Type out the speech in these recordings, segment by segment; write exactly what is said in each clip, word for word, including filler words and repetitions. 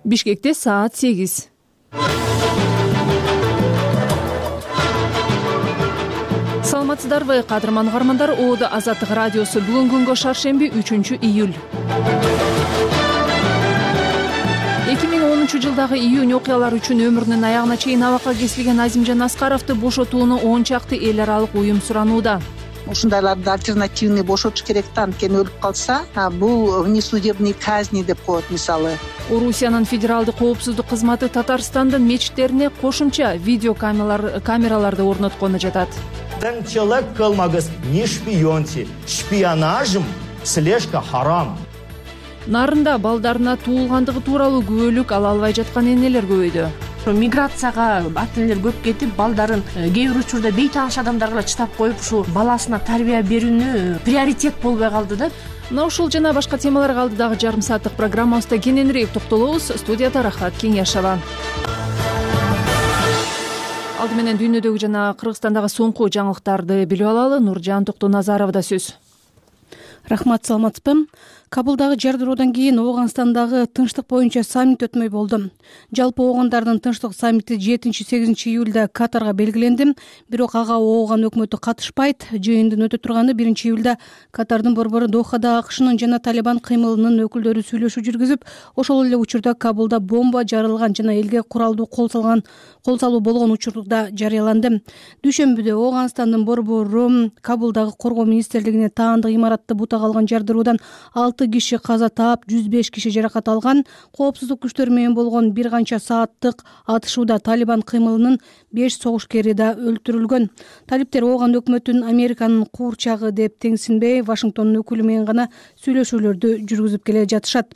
Бишкекте саат сегиз. Саламатсыздарбы, кадырман угармандар. Оодо Азаттык радиосу бүгүн күнгө шаршемби үчүнчү июль. эки миң онунчу жылдагы июнь окуялары үчүн өмүрүнүн аягына чейин абакка кесилген Азимжан Аскаровду бошотууну он чакты эл аралык уюм суранууда. Ушундайларды альтернативный бошотуш керек да, анткени өлүп калса, бул внесудебный казни деп коет мисалы. Орусиянын федералдык коопсуздук кызматы Татарстандын мечиттерине кошумча видео камераларды орноткону жатат. Тыңчылык кылмагыз, не шпионьте. Шпионажым слежка харам. Нарында балдарына туулгандыгы тууралуу күбөлүк ала албай жаткан энелер көбөйдү. Миграцияга ата энелер көп кетип, балдарын кээ бир учурда бейтааныш адамдарга чытап коюп, ушу баласына тарбия берүүнү приоритет болбой калды да. Мына ушул жана башка темаларга алдыдагы жарым сааттык программабызда кененирээк токтолобуз. Студияда Рахат Кеңешова. Алды менен дүйнөдөгү жана Кыргызстандагы соңку жаңылыктарды билип алалы. Нуржан Токтоназаровда сөз. Рахмат, саламатсызбы? Кабулдагы жардыруудан кийин Ооганстандагы тынчтык боюнча саммит өтмөй болду. Жалпы Оогандардын тынчтык саммити жетинчи-сегизинчи июлда Катарга белгиленди, бирок ага Ооган өкмөтү катышпайт. Жыйындын өтө турганы биринчи июлда Катардын борбору Дохада АКШнын жана Талибан кыймылынын өкүлдөрү сүйлөшүү жүргүзүп, ошол эле учурда Кабулда бомба жарылган жана элге куралдуу кол салган кол салуу болгон учурда жарыяланды. Дүйшөмбүдө Ооганстандын борбору Кабулдагы коргоо министрлигине таандык имаратты бутага алган жардыруудан алты киши каза таап, жүз беш киши жаракат алган. Коопсуздук күчтөрү менен болгон бир канча сааттык атышууда Талибан кыймылынын беш согушкери да өлтүрүлгөн. Талиптер Ооган өкмөтүн Американын куурчагы деп теңсинбей, Вашингтондун өкүлү менен гана сүйлөшүүлөрдү жүргүзүп келе жатышат.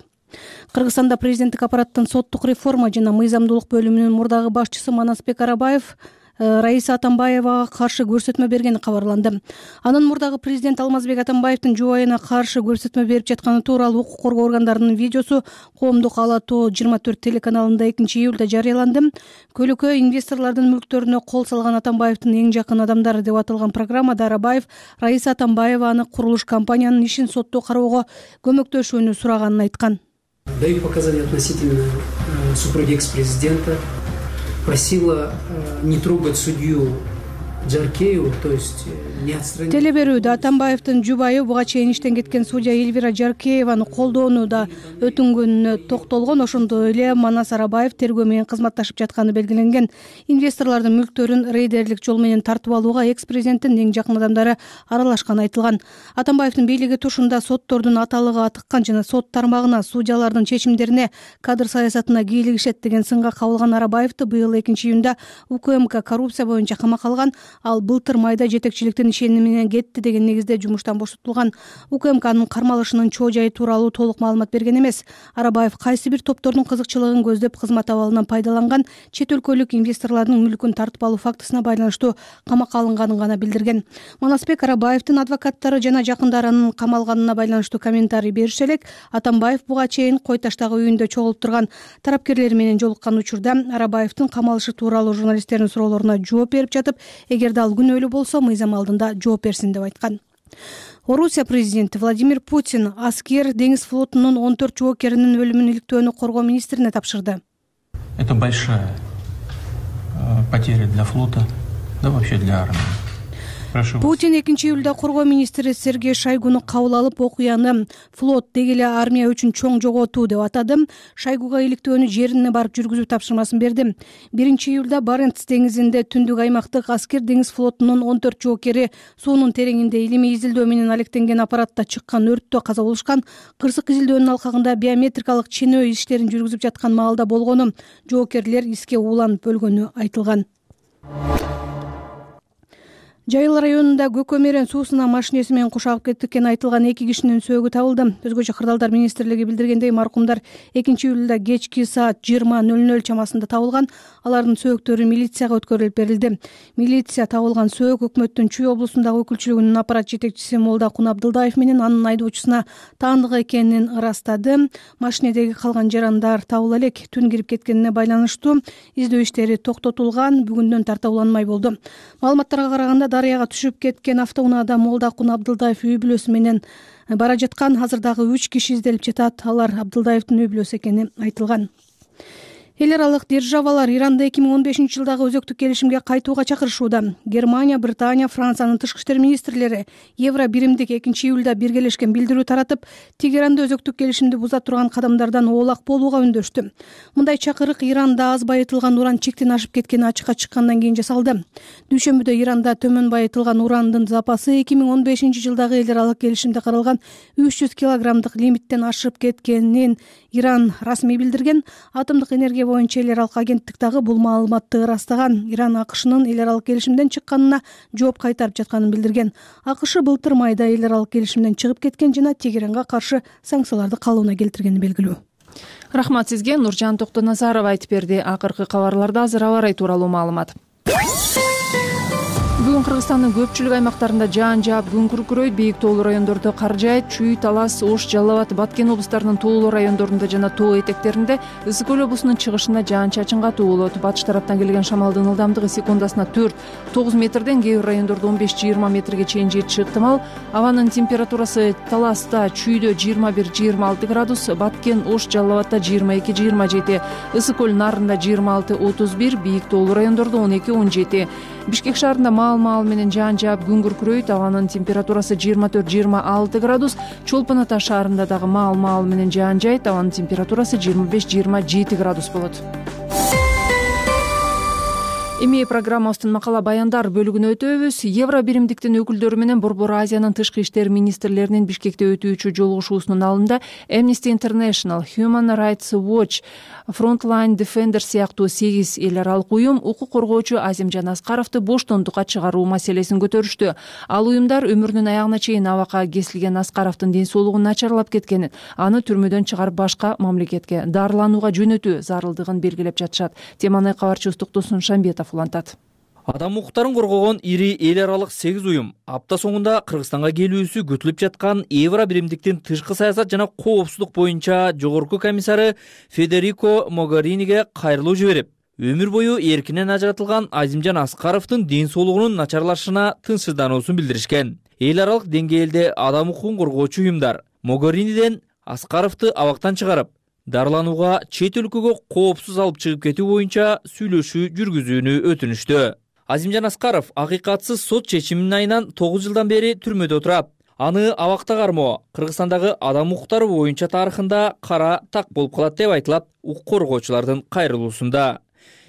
Кыргызстанда президенттик аппараттын соттук реформа жана мыйзамдуулук бөлүмүнүн мурдагы башчысы Манасбек Арабаев Раиса Атамбаевага каршы көрсөтмө бергени кабарланды. Анын мурдагы президент Алмазбек Атамбаевдин жубайына каршы көрсөтмө берип жатканы тууралуу укук коргоо органдарынын видеосу Коомдук Ала тоо жыйырма төрт телеканалында экинчи июлда жарыяланды. Көлөкө инвесторлордун мүлктөрүнө кол салган Атамбаевдин эң жакын адамдары деп аталган программада Арабаев Раиса Атамбаеваны курулуш компаниянын ишин сотто кароого көмөктөшүүнү сураганын айткан. Даю показания относительно супруги экс-президента. Просила не трогать судью Жаркееву, то есть не отстранить. Телеберүүдө Атамбаевдин жубайы буга чейин иштен кеткен судья Эльвира Жаркееваны колдоону да өтүнгөнүнө токтолгон. Ошондой эле Манас Арабаев тергөө менен кызматташып жатканы белгиленген. Инвесторлордун мүлктөрүн рейдерлик жол менен тартып алууга экс-президенттин эң жакын адамдары аралашканы айтылган. Атамбаевдин бийлиги тушунда соттордун аталыгы атыккан жана сот тармагына, судьялардын чечимдерине, кадр саясатына кийлигишет деген сынга кабылган Арабаевди быйыл экинчи июнда УКМК коррупция боюнча камакка алган. Ал былтыр майда жетекчиликтин ишеними менен кетти деген негизде жумуштан бошотулган. УКМКнын кармалышынын чоо жайы тууралуу толук маалымат берген эмес. Арабаев кайсы бир топтордун кызыкчылыгын көздөп кызмат абалынан пайдаланган, чет өлкөлүк инвесторлордун мүлкүн тартып алуу фактысына байланыштуу камакка алынганын гана билдирген. Манасбек Арабаевдин адвокаттары жана жакындарынын камалганына байланыштуу комментарий беришсе элек, Атамбаев буга чейин Кой Таштагы үйүндө чогулуп турган тарапкерлери менен жолуккан учурда Арабаевдин камалышы тууралуу журналисттердин суроолоруна жооп берип жатып, эгерде ал күнөөлүү болсо мыйзам алдында жооп берсин деп айткан. Орусия президенти Владимир Путин аскер деңиз флотунун он төрт жоокеринин өлүмүн иликтөөнү коргоо министрине тапшырды. Это большая потеря для флота, да вообще для армии. Путин экинчи июлда коргоо министри Сергей Шойгуну кабыл алып, окуяны флот деги эле армия үчүн чоң жоготуу деп атады. Шойгуга иликтөөнү жерине барып жүргүзүү тапшырмасын берди. биринчи июлда Баренц деңизинде түндүк аймактык аскер деңиз флотунун он төрт жоокери суунун тереңинде илимий изилдөө менен алектенген аппаратта чыккан өрттө каза болушкан. Кырсык изилдөөнүн алкагында биометрикалык ченөө иштерин жүргүзүп жаткан маалда болгону, жоокерлер иске ууланып өлгөнү айтылган. Жайыл районунда Көкөмерен суусуна машинеси менен кушагып кеткен айтылган эки кишинин сөөгү табылды. Өзгөчө Кырдаалдар министрлиги билдиргендей, маркумдар экинчи июлда кечки саат жыйырма ноль ноль чамасында табылган. Алардын сөөктөрү милицияга өткөрүлүп берилди. Милиция табылган сөөк өкмөттүн Чүй облусундагы өкүлчүлүгүнүн аппарат жетекчиси Молдакун Абдылдаев менен анын айдоочусуна таандык экенин ырастады. Машинедеги калган жарандар табыла элек. Түн кирип кеткенине байланыштуу издөө иштери токтотулган, бүгүндөн тарта уланмай болду. Маалыматтарга караганда, дарыяга түшүп кеткен автоунаада Молдакун Абдылдаев үй бүлөсү менен бара жаткан. Азыр дагы үч киши изделип жатат. Алар Абдылдаевдин үй бүлөсү экени айтылган. Эл аралык державалар Иранды эки миң он бешинчи жылдагы өзөктүк келишимге кайтууга чакырышууда. Германия, Британия, Франциянын тышкы иштер министрлери Евро биримдик экинчи июлда биргелешкен билдирүү таратып, Тегеранды өзөктүк келишимди буза турган кадамдардан оолак болууга үндөштү. Мындай чакырык Иранда аз байытылган уран чектен ашып кеткени ачыкка чыккандан кийин жасалды. Дүйшөмбүдө Иранда төмөн байытылган урандын запасы эки миң он бешинчи жылдагы эл аралык келишимде каралган үч жүз килограммдык лимиттен ашып кеткенин Иран расмий билдирген. Атомдук энергия боюнча эл аралык агенттик дагы бул маалыматты ырастаган. Иран АКШнын эл аралык келишимден чыкканына жооп кайтарып жатканын билдирген. АКШ былтыр майда эл аралык келишимден чыгып кеткен жана Тегеранга каршы санкцияларды калууна келтиргени белгилүү. Рахмат сизге. Нуржан Токтоназарова айтып берди. Акыркы кабарларда азыр аба ырайы тууралуу маалымат. Бүгүн Кыргызстандын көпчүлүк аймактарында жаан жаап, күн күркүрөйт. Бийик тоолуу райондордо кар жаайт. Чүй, Талас, Ош, Жалал Абад, Баткен облустарынын тоолуу райондорунда жана тоо этектеринде, Ысык көл облусунун чыгышында жаан-чачын катуу болот. Батыш тараптан келген шамалдын ылдамдыгы секундасына төрт тогуз метрден, кээ бир райондордо он беш жыйырма метрге чейин жетиши ыктымал. Абанын температурасы Таласта, Чүйдө жыйырма бир жыйырма алты градус, Баткен, Ош, Жалал Абадта жыйырма эки жыйырма жети, Ысык көл Нарында жыйырма алты отуз бир, бийик тоолуу райондордо он эки он жети. Бишкек шаарында маал-маал менен жаан жаап, күн күркүрөйт. Абанын температурасы жыйырма төрт жыйырма алты градус. Чолпон Ата шаарында дагы маал-маал менен жаан жайт. Абанын температурасы жыйырма беш жыйырма жети градус болот. Эми программабыздын макала баяндар бөлүгүнө өтөбүз. Евро биримдиктин өкүлдөрү менен Борбор Азиянын тышкы иштер министрлеринин Бишкекте өтүүчү жолугушуусунун алдында Amnesty International, Human Rights Watch, Frontline Defender сыяктуу сегиз эл аралык уюм укук коргоочу Азимжан Аскаровду боштондукка чыгаруу маселесин көтөрүштү. Ал уюмдар өмүрүнүн аягына чейин абакка кесилген Аскаровдун ден соолугу начарлап кеткенин, аны түрмөдөн чыгарып башка мамлекетке дарыланууга жөнөтүү зарылдыгын белгилеп жатышат. Теманы кабарчыбыз Токтосун Шамбетов улантат. Адам укуктарын коргогон ири эл аралык сегиз уюм апта соңунда Кыргызстанга келүүсү күтүлүп жаткан Евро биримдиктин тышкы саясат жана коопсуздук боюнча жогорку комиссары Федерико Могариниге кайрылуу жиберип, өмүр бою эркинен ажыратылган Азимжан Аскаровдун ден соолугунун начарлашына тынчсыздануусун билдиришкен. Эл аралык деңгээлде адам укугун коргоочу уюмдар Могариниден Аскаровду абактан чыгарып, дарыланууга чет өлкөгө коопсуз алып чыгып кетүү боюнча сүйлөшүү жүргүзүүнү өтүнүштү. Азимжан Аскаров акыйкатсыз сот чечиминин айынан тогуз жылдан бери түрмөдө турат. Аны абакта кармоо Кыргызстандагы адам укуктары боюнча тарыхында кара так болуп калат деп айтылат укук коргоочулардын кайрылуусунда.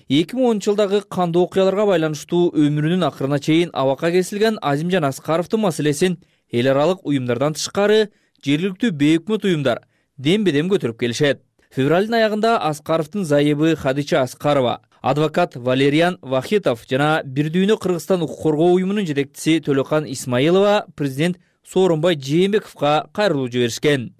эки миң онунчу жылдагы кандуу окуяларга байланыштуу өмүрүнүн акырына чейин абакка кесилген Азимжан Аскаровдун маселесин эл аралык уюмдардан тышкары жергиликтүү бейөкмөт уюмдар дембедем көтөрүп келишет. Февралдын аягында Аскаровдун зайыбы Хадича Аскарова, адвокат Валериан Вахитов жана Бир дүйнө Кыргызстан укук коргоо уюмунун жетекчиси Төлөкан Исмаилова президент Сооронбай Жээнбековго кайрылуу жиберишкен.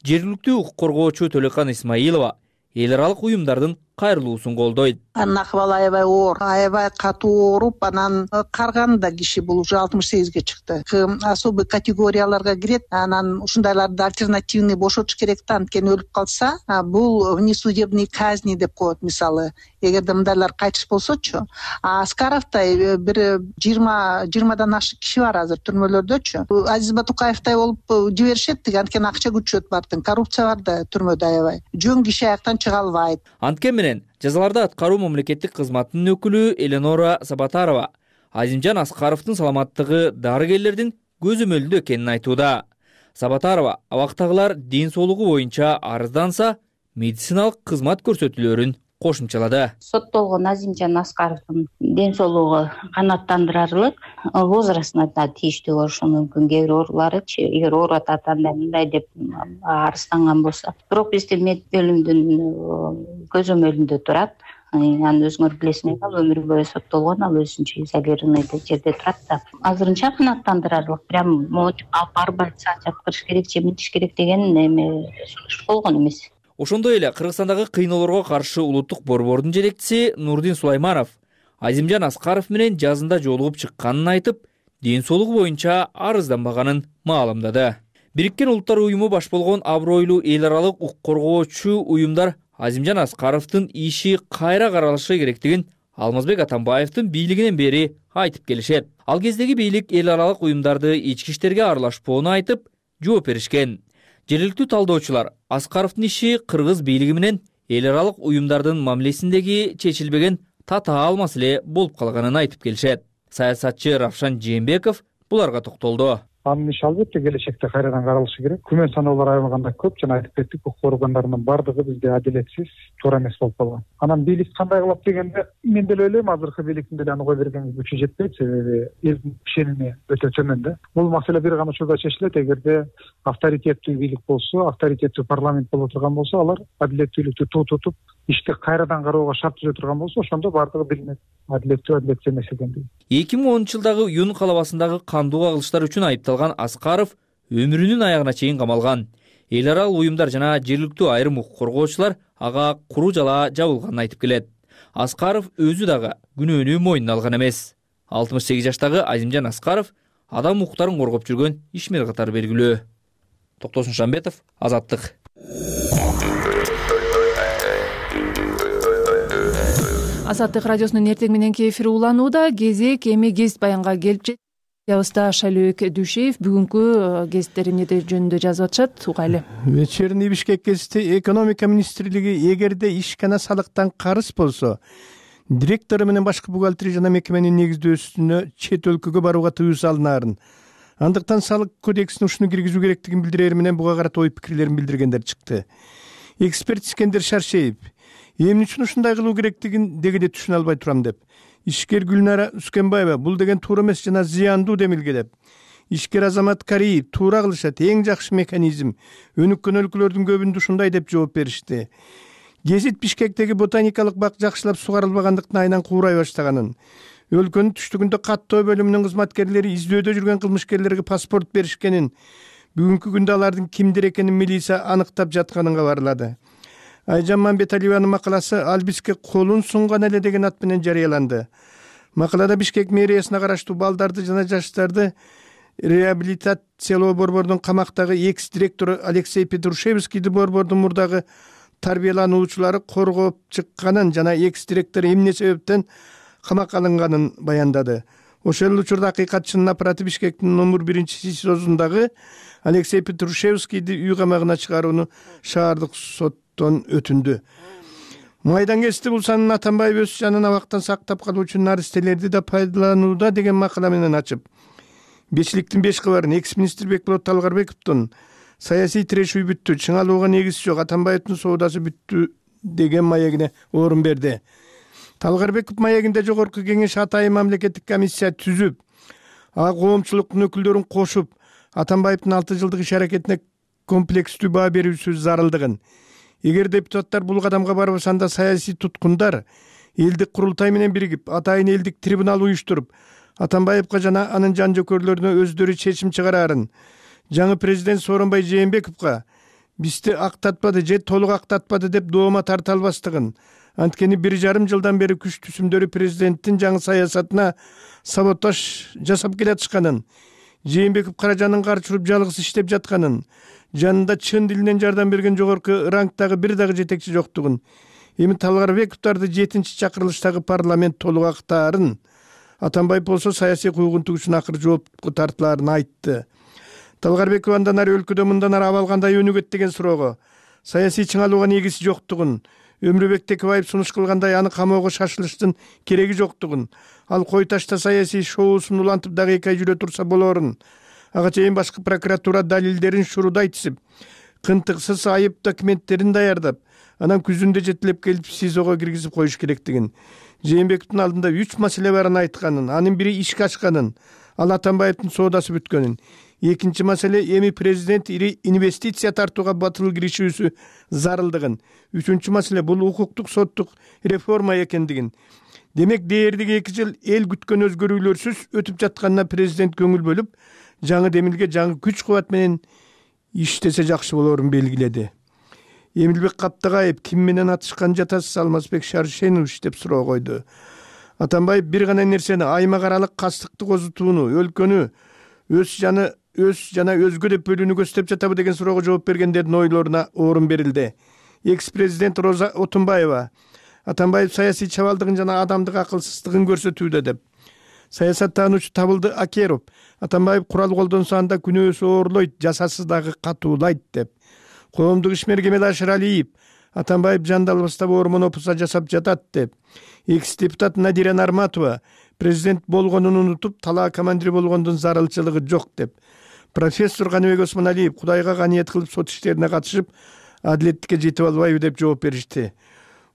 Жергиликтүү укук коргоочу Төлөкан Исмаилова эл аралык уюмдардын кайрылуусун колдойт. Анын акыбалы аябай оор, аябай катуу ооруп, анан карган да киши бул уже алтымыш сегизге чыкты. Особый категорияларга кирет. Анан ушундайларды альтернативный бошотуш керек да, анткени өлүп калса, бул внесудебный казни деп коет мисалы. Эгерде мындайлар кайтыш болсочу, Аскаровдай бир жыйырма жыйырмадан ашык киши бар азыр түрмөлөрдөчү. Азиз Батукаевтай болуп жиберишет, анткени акча күчөт бардын, коррупция бар да түрмөдө аябай. Жөн киши аяктан чыга албайт. Анткени менен жазаларды аткаруу мамлекеттик кызматынын өкүлү Эленора Сабатарова Азимжан Аскаровдун саламаттыгы дарыгерлердин көзөмөлүндө экенин айтууда. Сабатарова абактагылар ден соолугу боюнча арызданса, медициналык кызмат көрсөтүүлөрүн кошумчалады. Соттолгон Азимжан Аскаровдун ден соолугу канааттандырарлык, возрастына да тийиштүү болушу мүмкүн. Кээ бир оорулары, эгер ооруп атат анда мындай деп арызданган болсо. Бирок биздин мед бөлүмдүн көзөмөлүндө турат. Аны өзүңөр билесиңер, ал өмүр бою соттолгон, ал өзүнчө изолированный жерде турат да. Азырынча канааттандырарлык, прям алып барып айтса жаткырыш керек, жемитиш керек деген эме сунуш болгон эмес. Ошондой эле Кыргызстандагы кыйноолорго каршы улуттук борбордун жетекчиси Нурдин Сулайманов Азимжан Аскаров менен жазында жолугуп чыкканын айтып, ден соолугу боюнча арызданбаганын маалымдады. Бириккен Улуттар уюму баш болгон абройлуу эл аралык укук коргоочу уюмдар Азимжан Аскаровдун иши кайра каралышы керектигин Алмазбек Атамбаевдин бийлигинен бери айтып келишет. Ал кездеги бийлик эл аралык уюмдарды ички иштерге аралашпоону айтып, жооп беришкен. Жергиликтүү талдоочулар Аскаровдун иши кыргыз бийлиги менен эл аралык уюмдардын мамилесиндеги чечилбеген татаал маселе болуп калганын айтып келишет. Саясатчы Равшан Жээнбеков буларга токтолду. Анын иши албетте келечекте кайрадан каралышы керек. Күмөн саноолор айылганда көп, жана айтып кеттик, укук органдарынын бардыгы бизде адилетсиз, туура эмес болуп калган. Анан бийлик кандай кылат дегенде, мен деле ойлойм, азыркы бийликтин деле аны кое берген күчү жетпейт, себеби элдин ишеними өтө төмөн да. Бул маселе бир гана учурда чечилет, эгерде авторитеттүү бийлик болсо, авторитеттүү парламент боло турган болсо, алар адилеттүүлүктү туу тутуп, ишти кайрадан кароого шарт түзө турган болсо, ошондо бардыгы билинет. Адилеттүү, адилетсиз эмес экендиги. эки миң онунчу жылдагы Юн калабасындагы кандуу кагылыштар үчүн айыпталган Аскаров өмүрүнүн аягына чейин камалган. Эл аралык уюмдар жана жергиликтүү айрым укук коргоочулар ага куру жала жабылганын айтып келет. Аскаров өзү дагы күнөөнү мойнуна алган эмес. алтымыш сегиз жаштагы Азимжан Аскаров адам укуктарын коргоп жүргөн ишмер катары белгилүү. Токтосун Шамбетов, Азаттык. Азаттык радиосунун эртең мененки эфири уланууда. Кезек эми гезит баянга келип жетти. Ябызда Шалөөк Дүйшеев бүгүнкү гезиттер эмнеде жөнүндө жазып атышат, угайлы. Вечерний Бишкек гезити экономика министрлиги эгерде ишкана салыктан карыз болсо, директору менен башкы бухгалтери жана мекеменин негиздөөсүнө чет өлкөгө барууга тыюу салынаарын, андыктан салык кодексине ушуну киргизүү керектигин билдирээр менен буга карата ой пикирлерин билдиргендер чыкты. Эксперт Искендер Шаршеев эмне үчүн ушундай кылуу керектигин дегеде түшүнө албай турам деп. Ишкер Гүлнара Үскенбаева бул деген туура эмес жана зыяндуу демилге деп. Ишкер Азамат Кариев туура кылышат, эң жакшы механизм. Өнүккөн өлкөлөрдүн көбүндө ушундай деп жооп беришти. Гезит Бишкектеги ботаникалык бак жакшылап сугарылбагандыктан айынан куурай баштаганын, өлкөнүн түштүгүндө каттоо бөлүмүнүн кызматкерлери издөөдө жүргөн кылмышкерлерге паспорт беришкенин, бүгүнкү күндө алардын кимдир экенин милиция аныктап жатканын кабарлады. Айжан Мамбеталиеванын макаласы «Албиске колун сунган эле» деген ат менен жарыяланды. Макалада Бишкек мэриясына караштуу балдарды жана жаштарды реабилитациялоо борборунун камактагы экс-директору Алексей Петрушевскийди борбордун мурдагы тарбиялануучулары коргоп чыкканын жана экс-директор эмне себептен камакка алынганын баяндады. Ошол учурда акыйкатчынын аппараты Бишкектин номер биринчи СИЗОсундагы Алексей Петрушевскийди үй камагына чыгарууну шаардык соттон өтүндү. Майдан гезити бул санын Атамбаев өз жанын абактан сактап калуу үчүн наристелерди да пайдаланууда деген макала менен ачып, бешиликтин беш кабарын экс-министр Бекболот Талгарбековдун саясий тирешүү бүттү, чыңалууга негиз жок, Атамбаевдин соодасы бүттү деген маегине орун берди. Талгарбеков маегинде жогорку кеңеш атайын мамлекеттик комиссия түзүп, а коомчулуктун өкүлдөрүн кошуп, Атамбаевдин алты жылдык иш аракетине комплекстүү баа берүүсү зарылдыгын, эгер депутаттар бул кадамга барбаса, анда саясий туткундар элдик курултай менен биригип, атайын элдик трибунал уюштуруп, Атамбаевга жана анын жан жөкөрлөрүнө өздөрү чечим чыгарарын, жаңы президент Сооронбай Жээнбековго бизди актатпады же толук актатпады деп доома тарта албастыгын, анткени бир жарым жылдан бери күч түзүмдөрү президенттин жаңы саясатына саботаж жасап келатышканын, Жээнбеков каражанын карчырып жалгыз иштеп жатканын, жанында чын дилинен жардам берген жогорку рангтагы бир дагы жетекчи жоктугун, эми Талгарбековдорду жетинчи чакырылыштагы парламент толук актаарын, Атамбаев болсо саясий куугунтук үчүн акыр жоопко тартылаарын айтты. Талгарбеков андан ары өлкөдө мындан ары абал кандай өнүгөт деген суроого саясий чыңалууга негизи жоктугун, Өмүрбек Текебаев сунуш кылгандай аны камоого шашылыштын кереги жоктугун, ал кой ташта саясий шоусун улантып дагы эки ай жүрө турса болорун, ага чейин башкы прокуратура далилдерин шурудай тизип, кынтыксыз айып документтерин даярдап, анан күзүндө жетилеп келип СИЗОго киргизип коюш керектигин, Жээнбековдун алдында үч маселе барын айтканын, анын бири ишке ашканын, ал Атамбаевдин соодасы бүткөнүн. Экинчи маселе эми президент ири инвестиция тартууга батыл киришүүсү зарылдыгын. Үчүнчү маселе бул укуктук соттук реформа экендигин. Демек дээрлиги эки жыл эл күткөн өзгөрүүлөрсүз өтүп жатканына президент көңүл бөлүп, жаңы демилге жаңы күч кубат менен иштесе жакшы болорун белгиледи. Эмилбек Каптагаев ким менен атышкан жатасыз Алмазбек Шаршенович деп суроо койду. Атамбаев бир гана нерсени аймак аралык кастыкты козутууну, өлкөнү өз жаны өз жана өзгө деп бөлүүнү көздөп жатабы деген суроого жооп бергендердин ойлоруна орун берилди. Экс-президент Роза Отунбаева Атамбаев саясий чабалдыгын жана адамдык акылсыздыгын көрсөтүүдө деп. Саясаттануучу Табылды Акеров Атамбаев курал колдонсо анда күнөөсү оорлойт, жасасы дагы катуулайт деп. Коомдук ишмер Кемел Ашыралиев Атамбаев жандалбастап ормон опуса жасап жатат деп. Экс депутат Надира Нарматова президент болгонун унутуп, талаа командири болгондун зарылчылыгы жок деп. Профессор Каныбек Осмоналиев Кудайга каниет кылып сот иштерине катышып, адилеттикке жетип албайбы деп жооп беришти.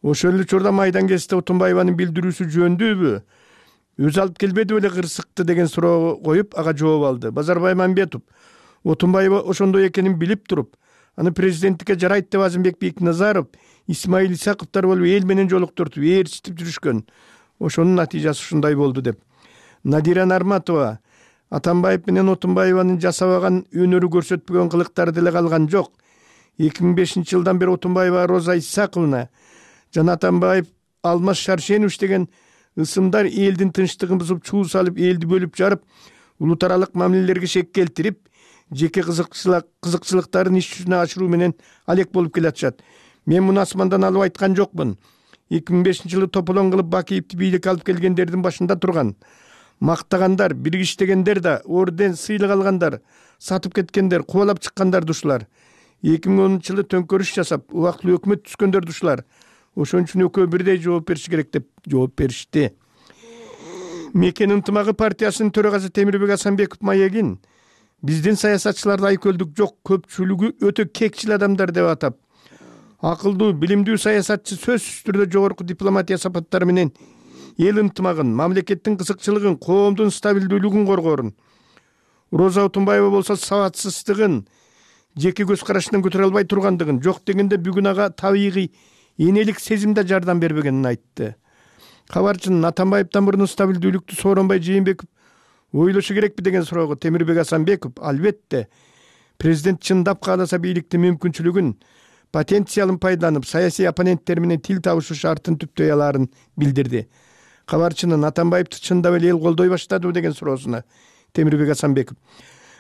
Ошол эле учурда майдан кезинде Отунбаеванын билдирүүсү жөндөбү, өзү алып келбеди беле кырсыкты деген суроо коюп, ага жооп алды. Базарбай Мамбетов Отунбаева ошондой экенин билип туруп, аны президенттикке жарайт деп Азымбек Бекназаров, Исмаил Исаковдор болуп эл менен жолуктуртуп, ээрчитип жүрүшкөн. Ошонун натыйжасы ушундай болду деп. Надира Нарматова Атамбаев менен Отунбаеванын жасабаган, өнөрү көрсөтпөгөн кылыктары деле калган жок. эки миң бешинчи жылдан бери Отунбаева Роза Исаковна жана Атамбаев Алмаз Шаршенович деген ысымдар элдин тынчтыгын бузуп, чуу салып, элди бөлүп жарып, улут аралык мамилелерге шек келтирип, жеке кызыкчылыктарын иш жүзүнө ашыруу менен алек болуп келатышат. Мен муну асмандан алып айткан жокмун. эки миң бешинчи жылы тополон кылып Бакиевди бийликке алып келгендердин башында турган, мактагандар, биргиштегендер да, орден, сыйлык алгандар, сатып кеткендер, кубалап чыккандар душулар. эки миң онунчу жылы төңкөрүш жасап, убактылуу өкмөт түзгөндөр душулар. Ошон үчүн экөө бирдей жооп бериши керек деп жооп беришти. Мекен ынтымагы партиясынын төрагасы Темирбек Асанбеков Маегин биздин саясатчыларда айкөлдүк жок, көпчүлүгү өтө кекчил адамдар деп атап, акылдуу, билимдүү саясатчы сөзсүз түрдө жогорку дипломатия сапаттары менен эл ынтымагын, мамлекеттин кызыкчылыгын, коомдун стабилдүүлүгүн коргоорун. Роза Отунбаева болсо сабатсыздыгын, жеке көз карашынан көтөрө албай тургандыгын, жок дегенде бүгүн ага табигый энелик сезимде жардам бербегенин айтты. Кабарчынын Атамбаевден мурун стабилдүүлүктү Сооронбай Жээнбеков ойлошу керекпи деген суроого Темирбек Асанбеков албетте президент чындап кааласа бийликтин мүмкүнчүлүгүн, потенциалын пайдаланып, саясий оппоненттер менен тил табышы шартын түптөй алаарын билдирди. Кабарчынын Атамбаевди чындап эле эл колдой баштадыбы деген суроосуна Темирбек Асанбеков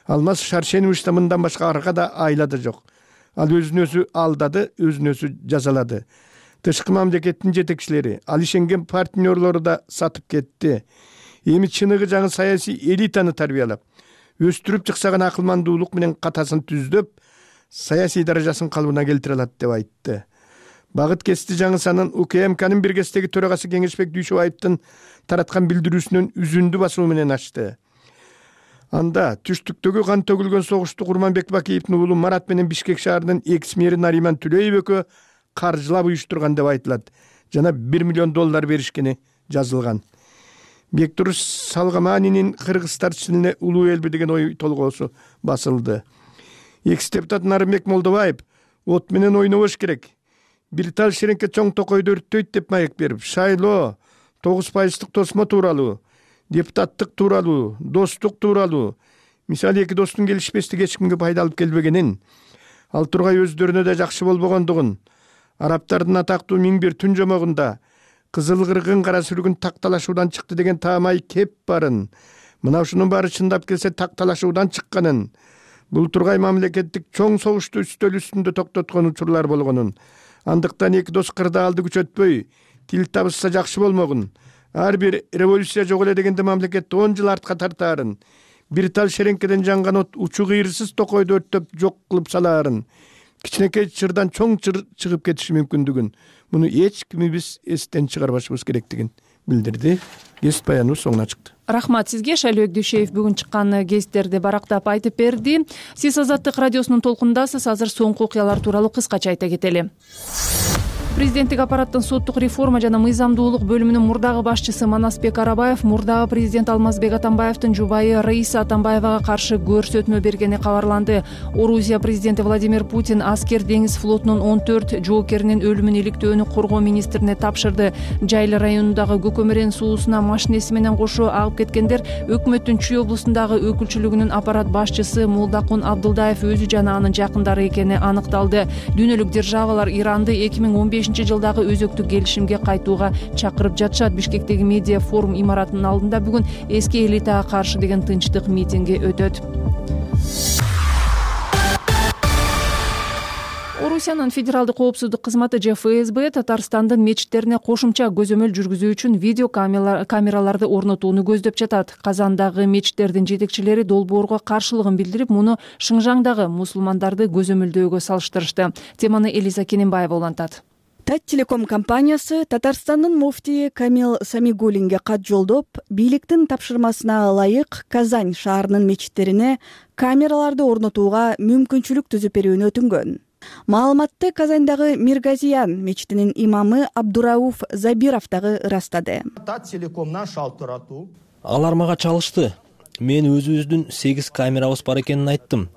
Алмаз Шаршенович да мындан башка аркада айла да жок. Ал өзүн өзү алдады, өзүн өзү жазалады. Тышкы мамлекеттин жетекчилери, ал ишенген партнерлору да сатып кетти. Эми чыныгы жаңы саясий элитаны тарбиялап, өстүрүп чыксаган акылмандуулук менен катасын түздөп, саясий даражасын калыбына келтире алат деп айтты. Багыт кести жаңысанын УКМКнын биргестеги төрагасы Кеңешбек Дүйшөбаевдин тараткан билдирүүсүнөн үзүндү басуу менен ачты. Анда түштүктөгү кан төгүлгөн согушту Курманбек Бакиевдин уулу Марат менен Бишкек шаарынын экс мэри Нариман Түлөев экөө каржылап уюштурган деп айтылат. Жана бир миллион доллар беришкени жазылган. Бектуруш Салгаманинин кыргыздар тилине улуу элби деген ой толгоосу басылды. Экс депутат Нарымбек Молдобаев от менен ойнобош керек. Бир тал шереңке чоң токойду өрттөйт деп маек берип, шайлоо, тогуз пайыздык тосмо тууралуу, депутаттык тууралуу, достук тууралуу, мисалы эки достун келишпестиги эч кимге пайда алып келбегенин, ал тургай өздөрүнө да жакшы болбогондугун, арабтардын атактуу миң бир түн жомогунда кызыл кыргын кара сүргүн такталашуудан чыкты деген таамай кеп барын, мына ушунун баары чындап келсе такталашуудан чыкканын, бул тургай мамлекеттик чоң согушту үстөл үстүндө токтоткон учурлар болгонун, андыктан эки дос кырда алды күчөтпөй, тил табышса жакшы болмогун, ар бир революция жок эле дегенде мамлекетти он жыл артка тартаарын, бир тал шереңкеден жанган от учу кыйырсыз токойду өрттөп жок кылып салаарын, кичинекей чырдан чоң чыр чыгып кетиши мүмкүндүгүн, муну эч кимибиз эстен чыгарбашыбыз керектигин билдирди. Гезит баяныбыз соңуна чыкты. Рахмат сизге. Шайлообек Дүйшөев бүгүн чыккан гезиттерди барактап айтып берди. Сиз Азаттык радиосунун толкунундасыз. Азыр соңку окуялар тууралуу кыскача айта кетели. Президенттик аппараттын соттук реформа жана мыйзамдуулук бөлүмүнүн мурдагы башчысы Манасбек Арабаев мурдагы президент Алмазбек Атамбаевдин жубайы Раиса Атамбаевага каршы көрсөтмө бергени кабарланды. Орусия президенти Владимир Путин аскер деңиз флотунун он төрт жоокеринин өлүмүн иликтөөнү коргоо министрине тапшырды. Жайлы районундагы Көкөмөрен суусуна машинеси менен кошо агып кеткендер өкмөттүн Чүй облусундагы өкүлчүлүгүнүн аппарат башчысы Молдакун Абдылдаев өзү жана анын жакындары экени аныкталды. Дүйнөлүк державалар Иранды эки миң он бешинчи жылдагы өзөктүк келишимге кайтууга чакырып жатышат. Бишкектеги медиа форум имаратынын алдында бүгүн эски элитага каршы деген тынчтык митинги өтөт. Орусиянын федералдык коопсуздук кызматы же эф эс бэ Татарстандын мечиттерине кошумча көзөмөл жүргүзүү үчүн видео камераларды орнотууну көздөп жатат. Казандагы мечиттердин жетекчилери долбоорго каршылыгын билдирип, муну Шыңжаңдагы мусулмандарды көзөмөлдөөгө салыштырышты. Теманы Элиза Кененбаева улантат. Таттелеком компаниясы Татарстандын муфтийи Камил Самигуллинге кат жолдоп, бийликтин тапшырмасына ылайык Казань шаарынын мечиттерине камераларды орнотууга мүмкүнчүлүк түзүп берүүнү өтүнгөн. Маалыматты Казандагы Миргазиян мечитинин имамы Абдурауф Забиров дагы ырастады. Таттелекомдон шалтыратуу. Алар мага чалышты. Мен өзүбүздүн сегиз камерабыз бар экенин айттым.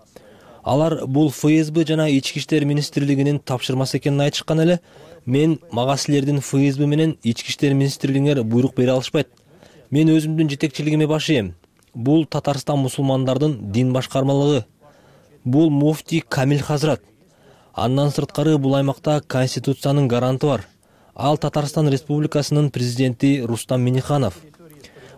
Алар бул эф эс бэ жана Ички иштер министрлигинин тапшырмасы экенин айтышкан эле. Мен мага силердин эф эс бэ менен Ички иштер министрлигиңер буйрук бере алышпайт. Мен өзүмдүн жетекчилигиме баш ийем. Бул Татарстан мусулмандардын дин башкармалыгы. Бул муфтий Камил Хазрат. Андан сырткары бул аймакта Конституциянын гаранты бар. Ал Татарстан Республикасынын президенти Рустам Минниханов.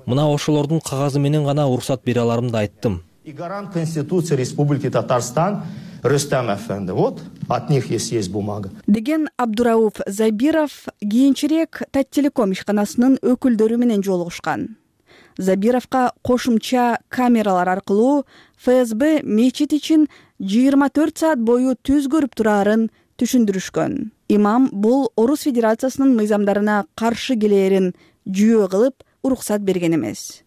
Мына ошолордун кагазы менен гана уруксат бере аларымды айттым. И гарант Конституции Республики Татарстан Рустам Эфенди. Вот от них есть бумага. Деген Абдурауф Забиров кийинчерээк Таттелеком ишканасынын өкүлдөрү менен жолугушкан. Забировго кошумча камералар аркылуу эф эс бэ мечит ичин жыйырма төрт саат бою түз көрүп турарын түшүндүрүшкөн. Имам бул Орус Федерациясынын мыйзамдарына каршы келээрин жүйө кылып уруксат берген эмес.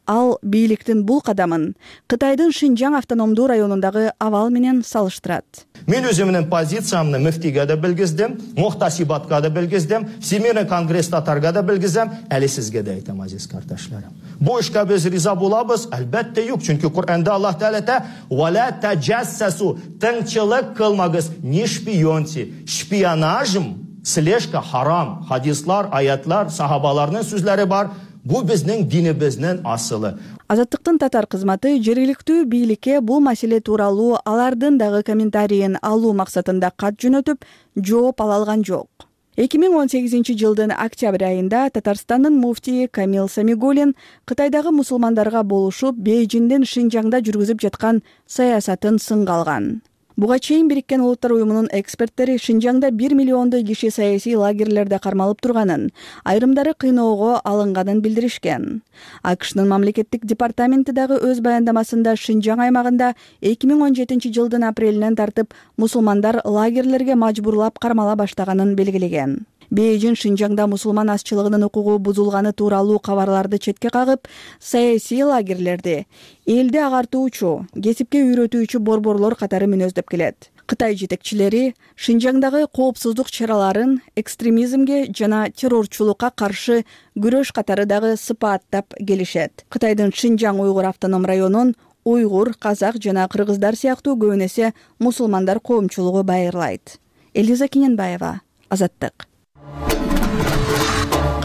Ал бийликтин бул кадамын Кытайдын Шинжаң автономдуу районундагы абал менен салыштырат. Мен өзүмдүн позициямды муфтийге да билгиздим, мухтасибатка да билгиздим, Всемирный конгресс татарга да билгизем, эле сизге да айтам, азиз кардошларым. Бу ишке биз риза болобуз? Албетте жок, чүнкү Кур'анда Аллах Таала айта: "Вала таджассасу", тыңчылык кылмагыз, не шпионьте. Шпионажым, слежка харам. Хадислар, аятлар, сахабалардын сөзлөрү бар. Бу биздин динибиздин асылы. Азаттыктын татар кызматы жергиликтүү бийликке бул маселе тууралуу алардын дагы комментарийин алуу максатында кат жөнөтүп, жооп ала алган жок. эки миң он сегизинчи жылдын октябрь айында Татарстандын муфтийи Камил Самигуллин Кытайдагы мусулмандарга болушуп Бейжиңден Шинжаңда жүргүзүп жаткан саясатын сынга алган. Буга чейин Бириккен Улуттар уюмунун эксперттери Шинжаңда бир миллиондой киши саясий лагерлерде кармалып турганын, айрымдары кыйноого алынганын билдиришкен. АКШнын мамлекеттик департаменти дагы өз баяндамасында Шинжаң аймагында эки миң он жетинчи жылдын апрелинен тартып мусулмандар лагерлерге мажбурлап кармала баштаганын белгилеген. Бейжиң Шинжаңда мусулман азчылыгынын укугу бузулганы тууралуу кабарларды четке кагып, саясий лагерлерди элди агартуучу, кесипке үйрөтүүчү борборлор катары мүнөздөп келет. Кытай жетекчилери Шинжаңдагы коопсуздук чараларын экстремизмге жана террорчулукка каршы күрөш катары дагы сыпааттап келишет. Кытайдын Шинжаң уйгур автоном районун уйгур, казак жана кыргыздар сыяктуу көбүн эсе мусулмандар коомчулугу байырлайт. Элиза Кененбаева, Азаттык.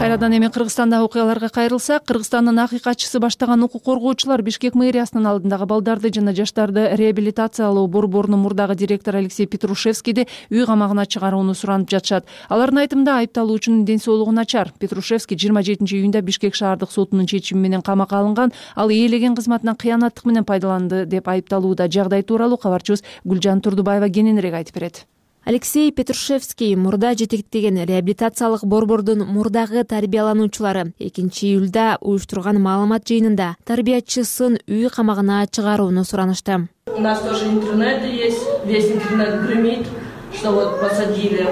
Кайрадан эми Кыргызстандагы окуяларга кайрылсак, Кыргызстандын акыйкатчысы баштаган укук коргоочулар Бишкек мэриясынын алдындагы балдарды жана жаштарды реабилитациялоо борборунун мурдагы директору Алексей Петрушевскийди үй камагына чыгарууну суранып жатышат. Алардын айтымында айыпталуучунун ден соолугу начар. Петрушевский жыйырма жетинчи июнда Бишкек шаардык сотунун чечими менен камакка алынган. Ал ээлеген кызматынан кыянаттык менен пайдаланды деп айыпталууда. Жагдай тууралуу кабарчыбыз Гүлжан Турдубаева кененирээк айтып берет. Алексей Петрушевский мурда жетектеген реабилитациялык борбордун мурдагы тарбиялануучулары экинчи июлда уюштурган маалымат жыйынында тарбиячысын үй камагына чыгарууну суранышты. У нас тоже интернет есть, весь интернет гремит, что вот посадили.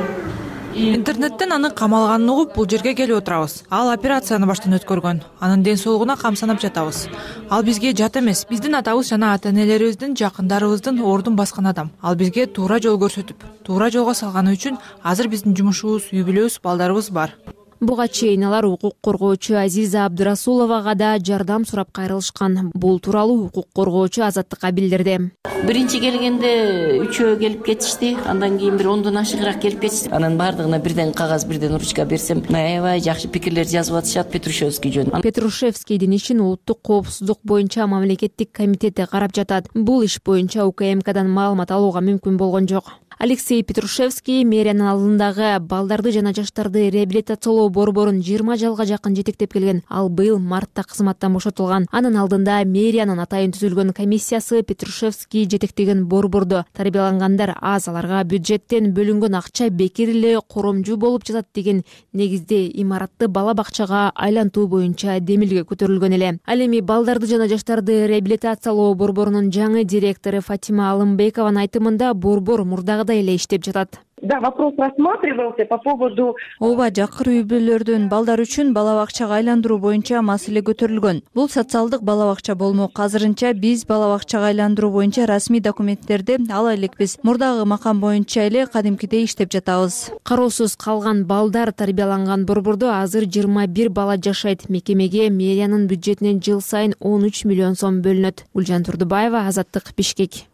Интернеттен анын камалганын угуп бул жерге келип отурабыз. Ал операцияны баштан өткөргөн. Анын ден соолугуна камсанып жатабыз. Ал бизге жат эмес. Биздин атабыз жана ата-энелерибиздин, жакындарыбыздын ордун баскан адам. Ал бизге туура жол көрсөтүп, туура жолго салганы үчүн азыр биздин жумушубуз, үй бүлөбүз, балдарыбыз бар. Буга чейин алар укук коргоочу Азиза Абдырасуловага да жардам сурап кайрылышкан. Бул тууралуу укук коргоочу Азаттыкка билдирди. Биринчи келгенде үчөө келип кетишти, андан кийин бир ондон ашыгыраак келип кетишти. Анан бардыгына бирден кагаз, бирден ручка берсем, аябай жакшы пикирлер жазып атышат Петрушевский жөнүндө. Петрушевскийдин ишин улуттук коопсуздук боюнча мамлекеттик комитети карап жатат. Бул иш боюнча У К М Кдан маалымат алууга мүмкүн болгон жок. Алексей Петрушевский мэриянын алдындагы балдарды жана жаштарды реабилитациялоо борборун жыйырма жылга жакын жетектеп келген. Ал быйыл мартта кызматтан бошотулган. Анын алдында мэриянын атайын түзүлгөн комиссиясы Петрушевский жетектеген борбордо тарбиялангандар аз, аларга бюджеттен бөлүнгөн акча бекер эле коромжу болуп жатат деген негизде имаратты бала бакчага айлантуу боюнча демилге көтөрүлгөн эле. Ал эми балдарды жана жаштарды реабилитациялоо борборунун жаңы директору Фатима Алымбекованын айтымында борбор мурдагы эле иштеп жатат. да, вопрос рассматривался по поводу. Ооба, жакыр үй бүлөлөрдүн балдар үчүн бала бакчага айландыруу боюнча маселе көтөрүлгөн. Бул социалдык бала бакча болмок. Азырынча биз бала бакчага айландыруу боюнча расмий документтерди ала элекпиз. Мурдагы макам боюнча эле кадимкидей иштеп жатабыз. Кароосуз калган балдар тарбияланган Борбордо азыр жыйырма бир бала жашайт. Мекемеге мэриянын бюджетинен жыл сайын он үч миллион сом бөлүнөт. Гүлжан Турдубаева, Азаттык, Бишкек.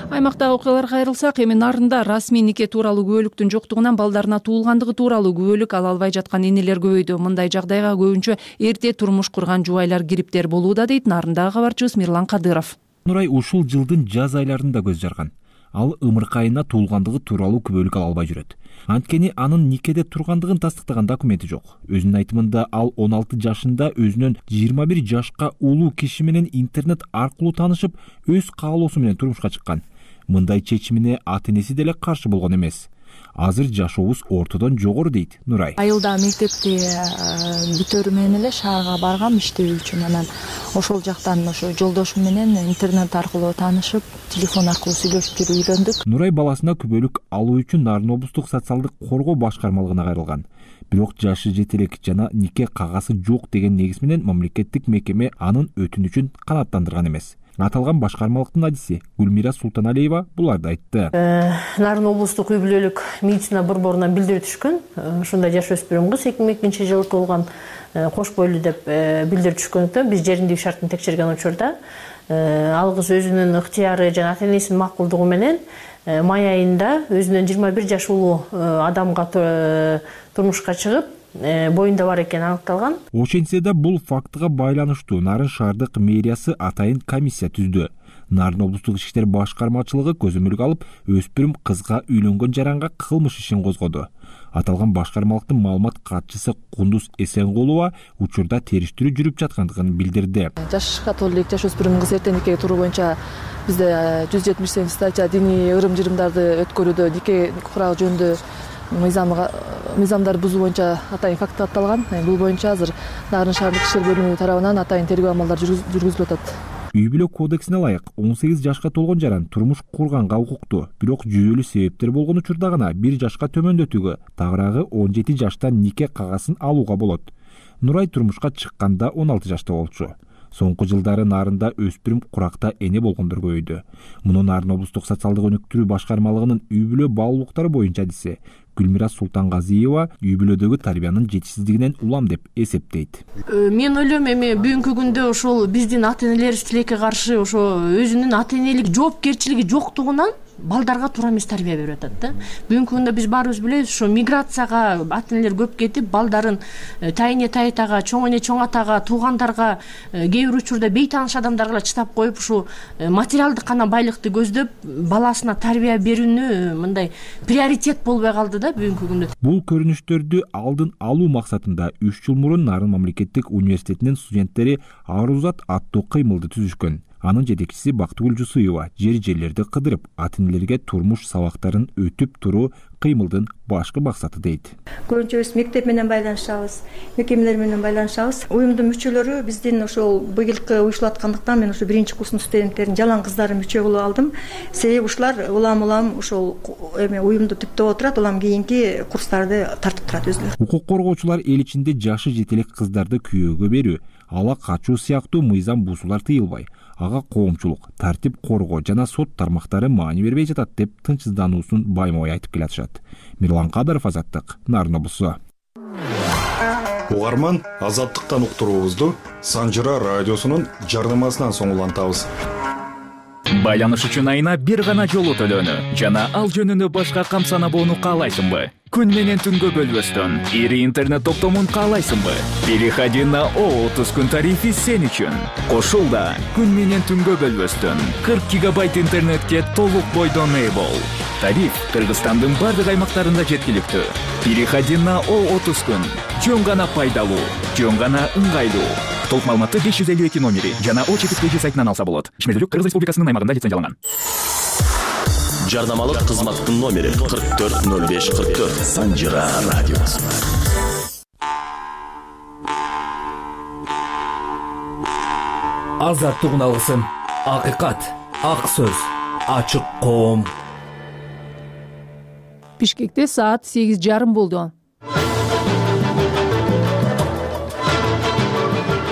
Аймактагы окуяларга кайрылсак, эми Нарында расмий нике тууралуу күбөлүктүн жоктугунан балдарына туулгандыгы тууралуу күбөлүк ала албай жаткан энелер көбөйдү. Мындай жагдайга көбүнчө эрте турмуш курган жубайлар кириптер болууда, дейт Нарындагы кабарчыбыз Мирлан Кадыров. Нурай ушул жылдын жаз айларында көз жарган. Ал ымыркайына туулгандыгы тууралуу күбөлүк ала албай жүрөт. Анткени анын никеде тургандыгын тастыктаган документи жок. Өзүнүн айтымында ал он алты жашында өзүнөн жыйырма бир жашка улуу киши менен интернет аркылуу таанышып, өз каалоосу менен турмушка чыккан. Мындай чечимине ата-энеси деле каршы болгон эмес. Азыр жашообуз ортодон жогору, дейт Нурай. Айылда мектепти бүтөрү менен эле шаарга баргам иштөө үчүн. Анан ошол жактан ошо жолдошум менен интернет аркылуу таанышып, телефон аркылуу сүйлөшүп жүрүп үйлөндүк. Нурай баласына күбөлүк алуу үчүн Нарын облустук социалдык коргоо башкармалыгына кайрылган. Бирок жашы жете элек жана нике кагазы жок деген негиз менен мамлекеттик мекеме анын өтүнүчүн канааттандырган эмес. Аталган башкармалыктын адиси Гүлмира Султаналиева буларды айтты. Нарын облустук үй бүлөлүк медицина борборунан билдирүү түшкөн. Ушундай жаш өспүрүм кыз эки миң экинчи жылы туулган, кош бойлуу деп билдирүү түшкөндүктөн биз жериндеги шартын текшерген учурда ал кыз өзүнүн ыктыяры жана ата-энесинин макулдугу менен май айында өзүнөн жыйырма бир жаш улуу адамга турмушка чыгып, боюнда бар экени аныкталган. Ошентсе да бул фактыга байланыштуу Нарын шаардык мэриясы атайын комиссия түздү. Нарын облустук ички иштер башкармачылыгы көзөмөлгө алып, өспүрүм кызга үйлөнгөн жаранга кылмыш ишин козгоду. Аталган башкармалыктын маалымат катчысы Кундуз Эсенгулова учурда териштирүү жүрүп жаткандыгын билдирди. Жашка толуу элек жаш өспүрүм кыз эрте никеге туруу боюнча бизде жүз жетимиш сегизинчи статья диний ырым-жырымдарды өткөрүүдө нике куралы жөнүндө мыйзамдарды бузуу боюнча атайын факт катталган. Бул боюнча азыр Нарын шаардык иштер бөлүмү тарабынан атайын тергөө амалдары жүргүзүлүп атат. Үй бүлө кодексине ылайык он сегиз жашка толгон жаран турмуш курганга укуктуу. Бирок жүйөлүү себептер болгон учурда гана бир жашка төмөндөтүүгө, тагыраагы он жети жаштан нике кагасын алууга болот. Нурай турмушка чыкканда он алты жашта болчу. Соңку жылдары Нарында өспүрүм куракта эне болгондор көбөйдү. Муну Нарын облустук социалдык өнүктүрүү башкармалыгынын үй бүлө баалуулуктары боюнча адиси Гүлмира Султангазиева үй бүлөдөгү тарбиянын жетишсиздигинен улам деп эсептейт. Мен ойлойм, эми бүгүнкү күндө ошол биздин ата-энелерибиз тилекке каршы ошо өзүнүн ата-энелик жоопкерчилиги жоктугунан балдарга туура эмес тарбия берип атат да. Бүгүнкү күндө биз баарыбыз билебиз, ошо миграцияга ата-энелер көп кетип, балдарын тайыне тайтага, чоң эне чоң атага, туугандарга, кээ бир учурда бейтааныш адамдарга чыдап коюп, ушу материалдык гана байлыкты көздөп, баласына тарбия берүүнү мындай приоритет болбой калды да бүгүнкү күндө. Бул көрүнүштөрдү алдын алуу максатында үч жыл мурун Нарын мамлекеттик университетинин студенттери Арузат аттуу кыймылды түзүшкөн. Анын жетекчиси Бактыгүл Жусуева жер жерлерди кыдырып, ата-энелерге турмуш сабактарын өтүп туруу кыймылдын башкы максаты, дейт. Көбүнчө биз мектеп менен байланышабыз, мекемелер менен байланышабыз. Уюмдун мүчөлөрү биздин ошол быйылкы уюшулаткандыктан мен ошо биринчи курстун студенттерин жалаң кыздарын мүчө кылып алдым. Себеби ушулар улам улам ошол эме уюмду түптөп отурат, улам кийинки курстарды тартып турат өзүлөрү. Укук коргоочулар эл ичинде жашы жетелек кыздарды күйөөгө берүү, ала качуу сыяктуу мыйзам бузуулар тыйылбай, ага коомчулук, тартип коргоо жана сот тармактары маани бербей жатат деп тынчсыздануусун байма-бай айтып келатышат. Мирлан Кадыров, Азаттык, Нарын облусу. Угарман, Азаттыктан уктуруубузду Санжыра радиосунун жардамасынан соң улантабыз. Байланыш үчүн айына бир гана жолу төлөнү жана ал жөнүндө башка камсанабоону каалайсыңбы? Күн менен түнгө бөлбөстөн ири интернет топтомун каалайсыңбы? Переходи на о отуз күн тарифи сен үчүн. Кошулда күн менен түнгө бөлбөстөн кырк гигабайт интернетке толук бойдон ээ бол. Тариф Кыргызстандын бардык аймактарында жеткиликтүү. Переходи на о отуз күн. Жөн гана пайдалуу, жөн гана ыңгайлуу. Толук маалыматты беш жүз элүү эки номери жана о чети кж сайтынан алса болот. Ишмердүүлүк Кыргыз Республикасынын аймагында лицензияланган. Жардамалык кызматтын номери кырк төрт ноль беш кырк төрт. Санжыра радиосу. Азаттык уналгысын. Акыйкат. ак сөз, ачык коом. Бишкекте саат сегиз жарым болду.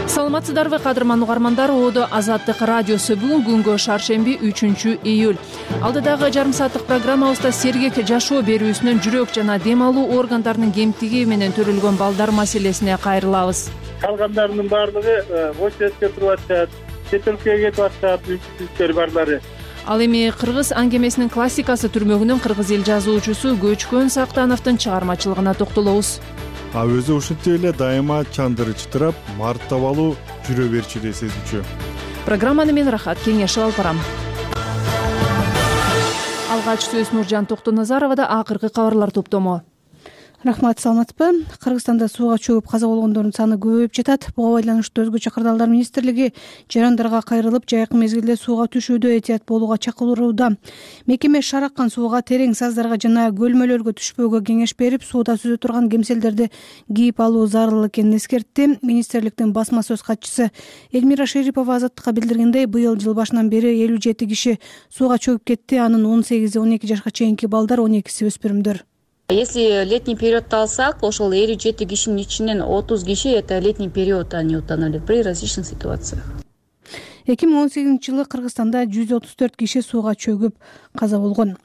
Саламатсыздарбы кадырман угармандар, Одо Азаттык радиосу. Бүгүн күнгө шаршемби үчүнчү июль. Алдыдагы жарым сааттык программабызда сергек жашоо берүүсүнөн жүрөк жана дем алуу органдарынын кемтиги менен төрөлгөн балдар маселесине кайрылабыз. Калгандарынын баардыгы Вочетке туруп атышат, чет өлкөгө кетип атышат, мүмкүнчүлүктөр барлары. Ал эми кыргыз аңгемесинин классикасы түрмөгүнүн кыргыз эл жазуучусу Көчкөн Сактановдун чыгармачылыгына токтолобуз. А өзү ушинтип эле дайыма чандыры чытырап, мартабалуу жүрө берчү сезүүчү. Программаны мен Рахат Кеңешов алып барам. Алгач сөз Нуржан Токтоназаровада акыркы кабарлар топтому. Рахмат, саламатсызбы? Кыргызстанда сууга чөгүп каза болгондордун саны көбөйүп жатат. Буга байланыштуу Өзгө Чакырдалдар министрлиги жарандарга кайрылып, жайкы мезгилде сууга түшүүдө этият болууга чакырууда. Мекеме шараккан сууга, терең саздарга жана көлмөлөргө түшпөөгө кеңеш берип, сууда сүзө турган кемселдерди кийип алуу зарыл экенин эскертти. Министрликтин басма сөз катчысы Элмира Шерипова Азаттыкка билдиргендей, быйыл жыл башынан бери элүү жети киши сууга чөгүп кетти. Анын он сегизи он эки жашка чейинки балдар, он экиси өспүрүмдөр. Если летний периодду алсак, ошол элүү жети кишинин ичинен отуз киши это летний период они утонули при различных ситуациях. эки миң он сегизинчи жылы Кыргызстанда жүз отуз төрт киши сууга чөгүп каза болгон.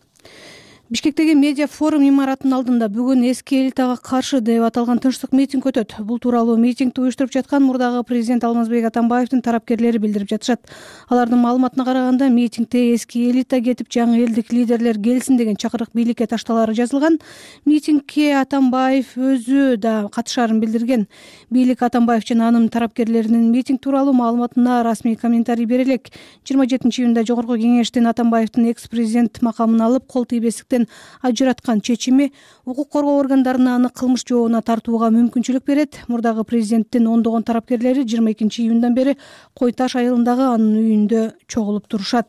Бишкектеги медиа форум имаратынын алдында бүгүн эски элитага каршы деп аталган тынчтык митинг өтөт. Бул тууралуу митингди уюштуруп жаткан мурдагы президент Алмазбек Атамбаевдин тарапкерлери билдирип жатышат. Алардын маалыматына караганда, митингде эски элита кетип, жаңы элдик лидерлер келсин деген чакырык бийликке ташталары жазылган. Митингге Атамбаев өзү да катышаарын билдирген. Бийлик Атамбаев жана анын тарапкерлеринин митинг тууралуу маалыматына расмий комментарий бере элек. жыйырма жетинчи июнда Жогорку Кеңештен Атамбаевдин экс-президент макамын алып, кол тийбестиктен ажыраткан чечими укук коргоо органдарына аны кылмыш жообуна тартууга мүмкүнчүлүк берет. Мурдагы президенттин ондогон тарапкерлери жыйырма экинчи июндан бери Кой Таш айылындагы анын үйүндө чогулуп турушат.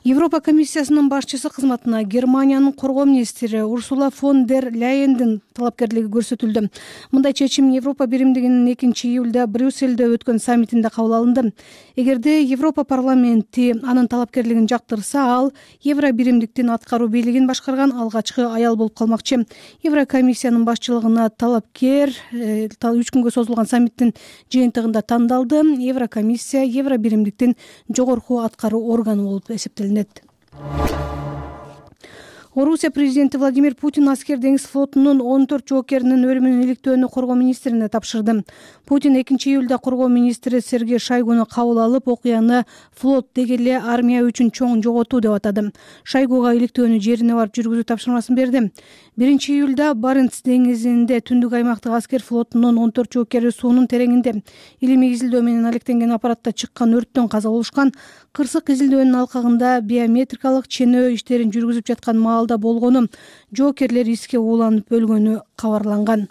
Европа комиссиясынын башчысы кызматына Германиянын коргоо министри Урсула фон дер Ляйендин талапкерлиги көрсөтүлдү. Мындай чечим Европа биримдигинин экинчи июлда Брюссельде өткөн саммитинде кабыл алынды. Эгерде Европа парламенти анын талапкерлигин жактырса, ал Евро биримдиктин аткаруу бийлигин башкарган алгачкы аял болуп калмакчы. Евро комиссиянын башчылыгына талапкер үч күнгө созулган саммиттин жыйынтыгында тандалды. Евро комиссия Евро биримдиктин жогорку аткаруу органы болуп эсептелет. Орусия президенти Владимир Путин аскер деңиз флотунун он төрт жоокеринин өлүмүнүн иликтөөнү коргоо министрине тапшырды. Путин экинчи июлда коргоо министри Сергей Шойгуну кабыл алып, окуяны флот деги эле армия үчүн чоң жоготуу деп атады. Шойгуга иликтөөнү жерине барып жүргүзүү тапшырмасын берди. биринчи июлда Баренц деңизинде түндүк аймактык аскер флотунун он төрт жоокери суунун тереңинде илимий изилдөө менен алектенген аппаратта чыккан өрттөн каза болушкан. Кырсык изилдөөнүн алкагында биометрикалык ченөө иштерин жүргүзүп жаткан маалда болгону, жоокерлер иске ууланып өлгөнү кабарланган.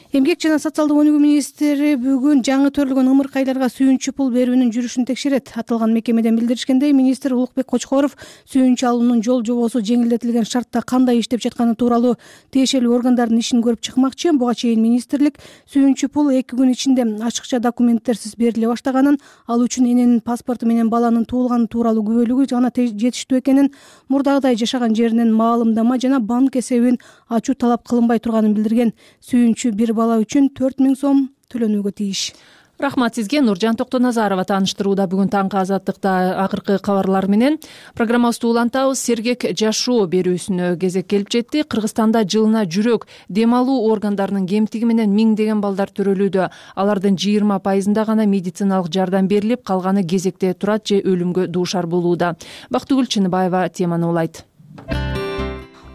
Эмгек жана социалдык өнүгүү министри бүгүн жаңы төрөлгөн ымыркайларга сүйүнчү пул берүүнүн жүрүшүн текшерет. Аталган мекемеден билдиришкендей, министр Улукбек Кочкоров сүйүнчү алуунун жол жобосу жеңилдетилген шартта кандай иштеп жатканы тууралуу тиешелүү органдардын ишин көрүп чыкмакчы. Буга чейин министрлик сүйүнчү пул эки күн ичинде ачыкча документтерсиз бериле баштаганын, ал үчүн эненин паспорту менен баланын туулганы тууралуу күбөлүгү гана жетиштүү экенин, мурдагыдай жашаган жеринен маалымдама жана банк эсебин ачуу талап кылынбай турганын билдирген. Сүйүнчү бир бала үчүн төрт миң сом төлөнүүгө тийиш. Рахмат сизге, Нуржан Токтоназарова тааныштырууда бүгүн таңкы Азаттыкта акыркы кабарлар менен. Программабызды улантабыз. Сергек жашоо берүүсүнө кезек келип жетти. Кыргызстанда жылына жүрөк дем алуу органдарынын кемтиги менен миңдеген балдар төрөлүүдө. Алардын жыйырма пайызында гана медициналык жардам берилип, калганы кезекте турат же өлүмгө дуушар болууда. Бактыгүл Чыныбаева теманы улайт.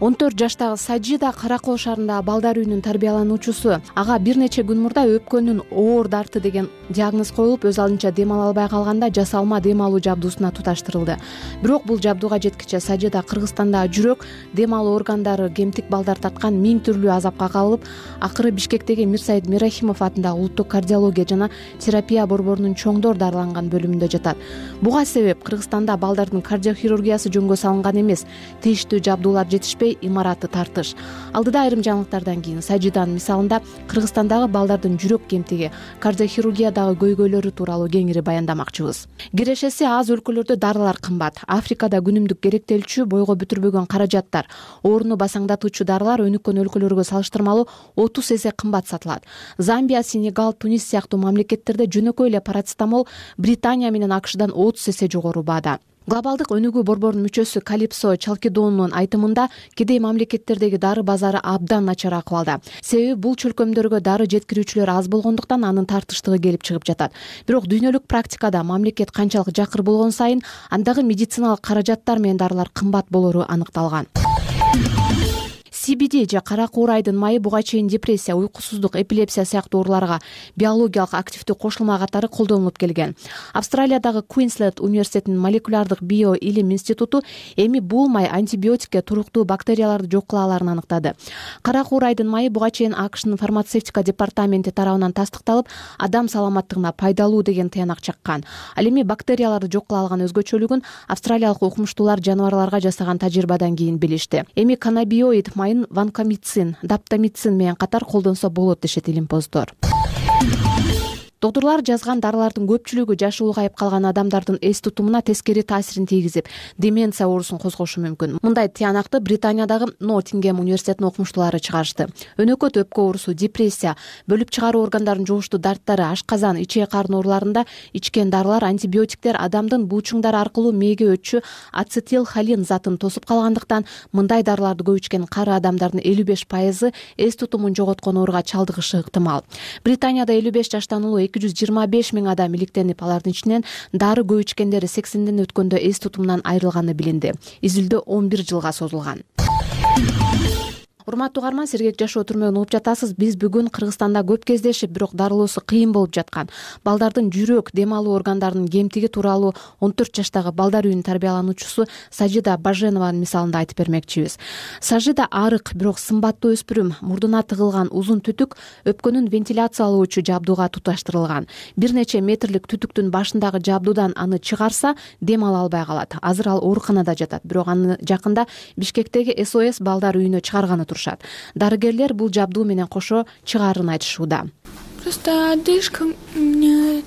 он төрт жаштагы Сажида Кара Кол шаарындагы балдар үйүнүн тарбиялануучусу. Ага бир нече күн мурда өпкөнүн оор дарты деген диагноз коюлуп, өз алдынча дем ала албай калганда жасалма дем алуу жабдуусуна туташтырылды. Бирок бул жабдууга жеткиче Сажида Кыргызстандагы жүрөк дем алуу органдары кемтик балдар тарткан миң түрлүү азапка кабылып, акыры Бишкектеги Мирсаид Мирахимов атындагы улуттук кардиология жана терапия борборунун чоңдор дарыланган бөлүмүндө жатат. Буга себеп Кыргызстанда балдардын кардиохирургиясы жөнгө салынган эмес, тийиштүү жабдуулар жетишпей жетпей имараты тартыш. Алдыда айрым жаңылыктардан кийин Сажиданын мисалында Кыргызстандагы балдардын жүрөк кемтиги, кардиохирургиядагы көйгөйлөрү тууралуу кеңири баяндамакчыбыз. Кирешеси аз өлкөлөрдө дарылар кымбат. Африкада күнүмдүк керектелчү бойго бүтүрбөгөн каражаттар, ооруну басаңдатуучу дарылар өнүккөн өлкөлөргө салыштырмалуу отуз эсе кымбат сатылат. Замбия, Сенегал, Тунис сыяктуу мамлекеттерде жөнөкөй эле парацетамол Британия менен АКШдан отуз эсе жогору баада. Глобалдык өнүгүү борборунун мүчөсү Калипсо Чалкидонунун айтымында кедей мамлекеттердеги дары базары абдан начар акыбалда. Себеби бул чөлкөмдөргө дары жеткирүүчүлөр аз болгондуктан анын тартыштыгы келип чыгып жатат. Бирок дүйнөлүк практикада мамлекет канчалык жакыр болгон сайын андагы медициналык каражаттар менен дарылар кымбат болору аныкталган. си би ди же кара куурайдын майы буга чейин депрессия, уйкусуздук, эпилепсия сыяктуу ооруларга биологиялык активдүү кошулма катары колдонулуп келген. Австралиядагы Квинсленд университетинин молекулярдык био илим институту эми бул май антибиотикке туруктуу бактерияларды жок кыла аларын аныктады. Кара куурайдын майы буга чейин АКШнын фармацевтика департаменти тарабынан тастыкталып, адам саламаттыгына пайдалуу деген тыянак чаккан. Ал эми бактерияларды жок кыла алган өзгөчөлүгүн австралиялык окумуштуулар жаныбарларга жасаган тажрыйбадан кийин билишти. Эми каннабиоид майын ванкомицин, даптамицин менен катар колдонсо болот дешет илимпоздор. Доктурлар жазган дарылардын көпчүлүгү жашы улгайып калган адамдардын эс тутумуна тескери таасирин тийгизип, деменция оорусун козгошу мүмкүн. Мындай тыянакты Британиядагы Ноттингем университетинин окумуштуулары чыгарышты. Өнөкөт, өпкө оорусу, депрессия, бөлүп чыгаруу органдарын жугуштуу дарттары, ашказан, ичек карын ооруларында ичкен дарылар, антибиотиктер адамдын булчуңдары аркылуу мээге өтчү ацетилхолин затын тосуп калгандыктан мындай дарыларды көп ичкен кары адамдардын элүү беш пайызы эс тутумун жоготкон ооруга чалдыгышы ыктымал. Британияда элүү беш жаштан улуу эки жүз жыйырма беш миң адам иликтенип, алардын ичинен дары көп ичкендери сексенден өткөндө эс тутумунан айрылганы билинди. Изилдөө он бир жылга созулган. Урматтуу угарман, сергек жашоо түрмөгүн угуп жатасыз. Биз бүгүн Кыргызстанда көп кездешип, бирок дарылоосу кыйын болуп жаткан балдардын жүрөк, дем алуу органдарынын кемтиги тууралуу он төрт жаштагы балдар үйүнүн тарбиялануучусу Сажида Баженованын мисалында айтып бермекчибиз. Сажида арык, бирок сымбаттуу өспүрүм, мурдуна тыгылган узун түтүк өпкөнүн вентиляциялоочу жабдууга туташтырылган. Бир нече метрлик түтүктүн башындагы жабдуудан аны чыгарса, дем ала албай калат. Азыр ал ооруканада жатат, бирок аны жакында Бишкектеги эс о эс балдар үйүнө чыгарганы турушат. Дарыгерлер бул жабдуу менен кошо чыгаарын айтышууда. Просто одышка мне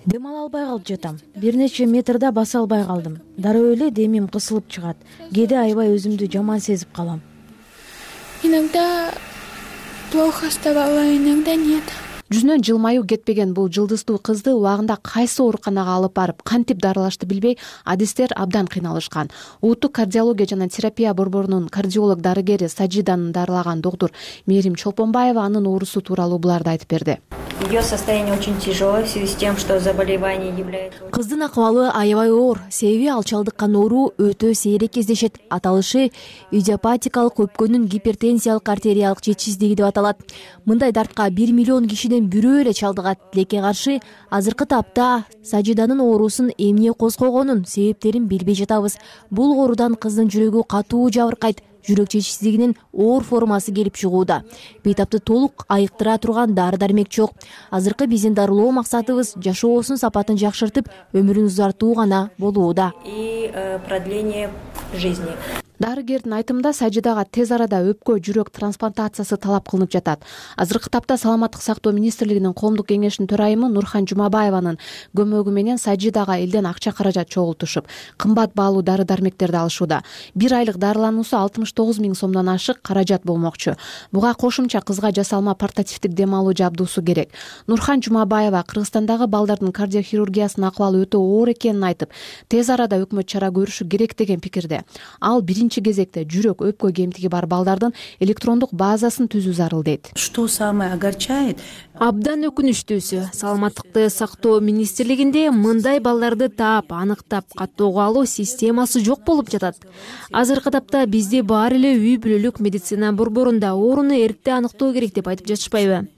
дем ала албай калып жатам. Бир нече метрда баса албай калдым. Дароо эле демим кысылып чыгат. Кээде аябай өзүмдү жаман сезип калам. Иногда плохо вставала, иногда нет. Жүзүнөн жылмаюу кетпеген бул жылдыздуу кызды убагында кайсы ооруканага алып барып, кантип дарылашты билбей, адистер абдан кыйналышкан. Улуттук кардиология жана терапия борборунун кардиолог дарыгери Сажиданын дарылаган доктур Мээрим Чолпонбаева анын оорусу тууралуу буларды айтып берди. Ее состояние очень тяжелое в связи с тем, что заболевание является... Кыздын акыбалы аябай оор, себеби ал чалдыккан оору өтө сейрек кездешет. Аталышы идиопатикалык өпкөнүн гипертензиялык артериялык жетишсиздиги деп аталат. Мындай дартка бир миллион кишиден бирөө эле чалдыгат. Тилекке каршы азыркы тапта Сажиданын оорусун эмне козгогонун себептерин билбей жатабыз. Бул оорудан кыздын жүрөгү катуу жабыркайт. Жүрөк жетишсиздигинин оор формасы келип чыгууда. Бейтапты толук айыктыра турган дары-дармек жок. Азыркы биздин дарылоо максатыбыз жашоосунун сапатын жакшыртып, өмүрүн узартуу гана болууда. И продление жизни. Дарыгердин айтымында Сажидага тез арада өпкө жүрөк трансплантациясы талап кылынып жатат. Азыркы тапта Саламаттык сактоо министрлигинин коомдук кеңешинин төрайымы Нурхан Жумабаеванын көмөгү менен Сажидага элден акча каражат чогултушуп, кымбат баалуу дары-дармектерди алышууда. Бир айлык дарылануусу алтымыш тогуз миң сомдон ашык каражат болмокчу. Буга кошумча кызга жасалма портативдик дем алуу жабдуусу керек. Нурхан Жумабаева Кыргызстандагы балдардын кардиохирургиясынын акыбалы өтө оор экенин айтып, тез арада өкмөт чара көрүшү керек деген пикирде. Ал биринчи кезекте жүрөк, өпкө кемтиги бар балдардын электрондук базасын түзүү зарыл дейт. Что самое огорчает? Абдан өкүнүчтүүсү, саламаттыкты сактоо министрлигинде мындай балдарды таап, аныктап, каттоого алуу системасы жок болуп жатат. Азыркы тапта бизде баары эле үй бүлөлүк медицина борборунда ооруну эрте аныктоо керек деп айтып жатышпайбы?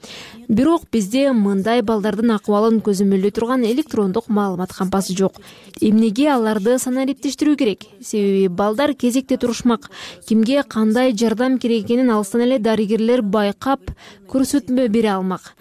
Бирок бизде мындай балдардын акыбалын көзөмөлдөй турган электрондук маалымат кампасы жок. Эмнеге аларды санариптештирүү керек? Себеби балдар кезекте турушмак. Кимге кандай жардам керек экенин алыстан эле дарыгерлер байкап, көрсөтмө бере алмак.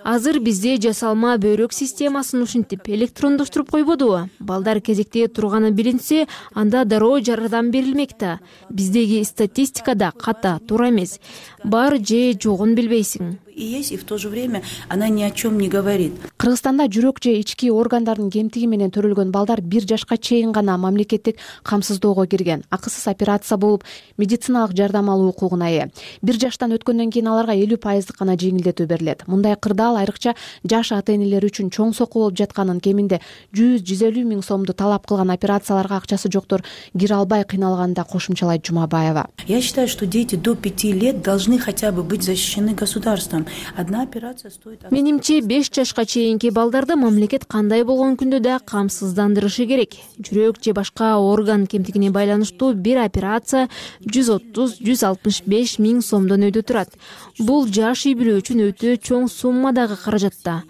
азыр бизде жасалма бөйрөк системасын ушинтип электрондоштуруп койбодубу? Балдар кезекте турганы билинсе, анда дароо жардам берилмек да. Биздеги статистикада ката, туура эмес. Бар же жогун билбейсиң. И есть, и в то же время она ни о чем не говорит. Кыргызстанда жүрөк же ички органдардын кемтиги менен төрөлгөн балдар бир жашка чейин гана мамлекеттик камсыздоого кирген, акысыз операция болуп, медициналык жардам алуу укугуна ээ. Бир жаштан өткөндөн кийин аларга элүү пайыздык гана жеңилдетүү берилет. Мындай кырдаал айрыкча жаш ата-энелер үчүн чоң сокку болуп жатканын, кеминде жүз жүз элүү миң сомду талап кылган операцияларга акчасы жоктор кире албай кыйналганын да кошумчалайт Жумабаева. Я считаю, что дети до пяти лет должны хотя бы быть защищены государством. Одна операция стоит... Менимче беш жашка чейинки балдарды мамлекет кандай болгон күндө да камсыздандырышы керек. Жүрөк же башка орган кемтигине байланыштуу бир операция жүз отуз жүз алтымыш беш миң сомдон өйдө турат. Бул жаш үй бүлө үчүн өтө чоң суммадагы каражат да.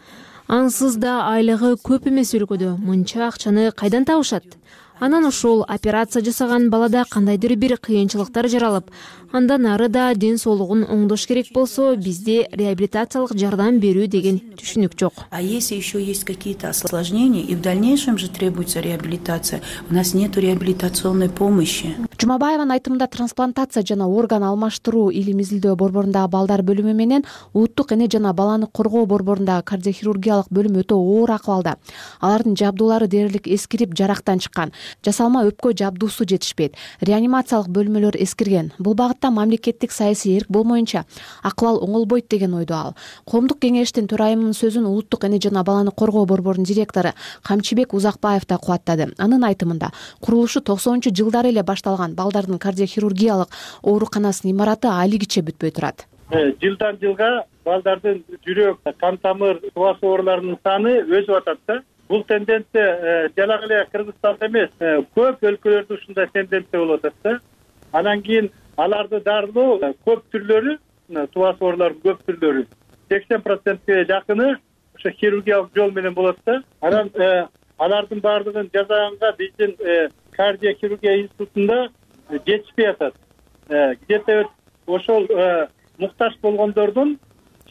Ансыз да айлыгы көп эмес өлкөдө мынча акчаны кайдан табышат? Анан ошол операция жасаган балада кандайдыр бир кыйынчылыктар жаралып, андан ары да ден соолугун оңдош керек болсо, бизде реабилитациялык жардам берүү деген түшүнүк жок. А если еще есть какие-то осложнения, и в дальнейшем же требуется реабилитация, у нас нету реабилитационной помощи. Жумабаеванын айтымында трансплантация жана орган алмаштыруу илим изилдөө борборундагы балдар бөлүмү менен улуттук эне жана баланы коргоо борборундагы кардиохирургиялык бөлүм өтө оор акыбалда. Алардын жабдуулары дээрлик эскирип, жарактан чыккан. Жасалма өпкө жабдуусу жетишпейт. Реанимациялык бөлмөлөр эскирген. Бул багытта мамлекеттик саясий эрк болмоюнча акыбал оңолбойт деген ойдо ал. Коомдук кеңештин төрайымынын сөзүн улуттук эне жана баланы коргоо борборунун директору Камчыбек Узакбаев да кубаттады. Анын айтымында, курулушу токсонунчу жылдары эле башталган балдардын кардиохирургиялык ооруканасынын имараты алигиче бүтпөй турат. Жылдан жылга балдардын жүрөк, кан тамыр, туас ооруларынын саны өсүп атат да. Бул тенденция жалак эле Кыргызстанда эмес, көп өлкөлөрдө ушундай тенденция болуп атат да. Анан кийин аларды дарылоо көп түрлөрү, туас оорулардын көп түрлөрү сексен процентке жакыны ошо хирургиялык жол менен болот да. Анан алардын баардыгын жасаганга биздин кардиохирургия институтунда жетишпей атат. Где-то ошол муктаж болгондордун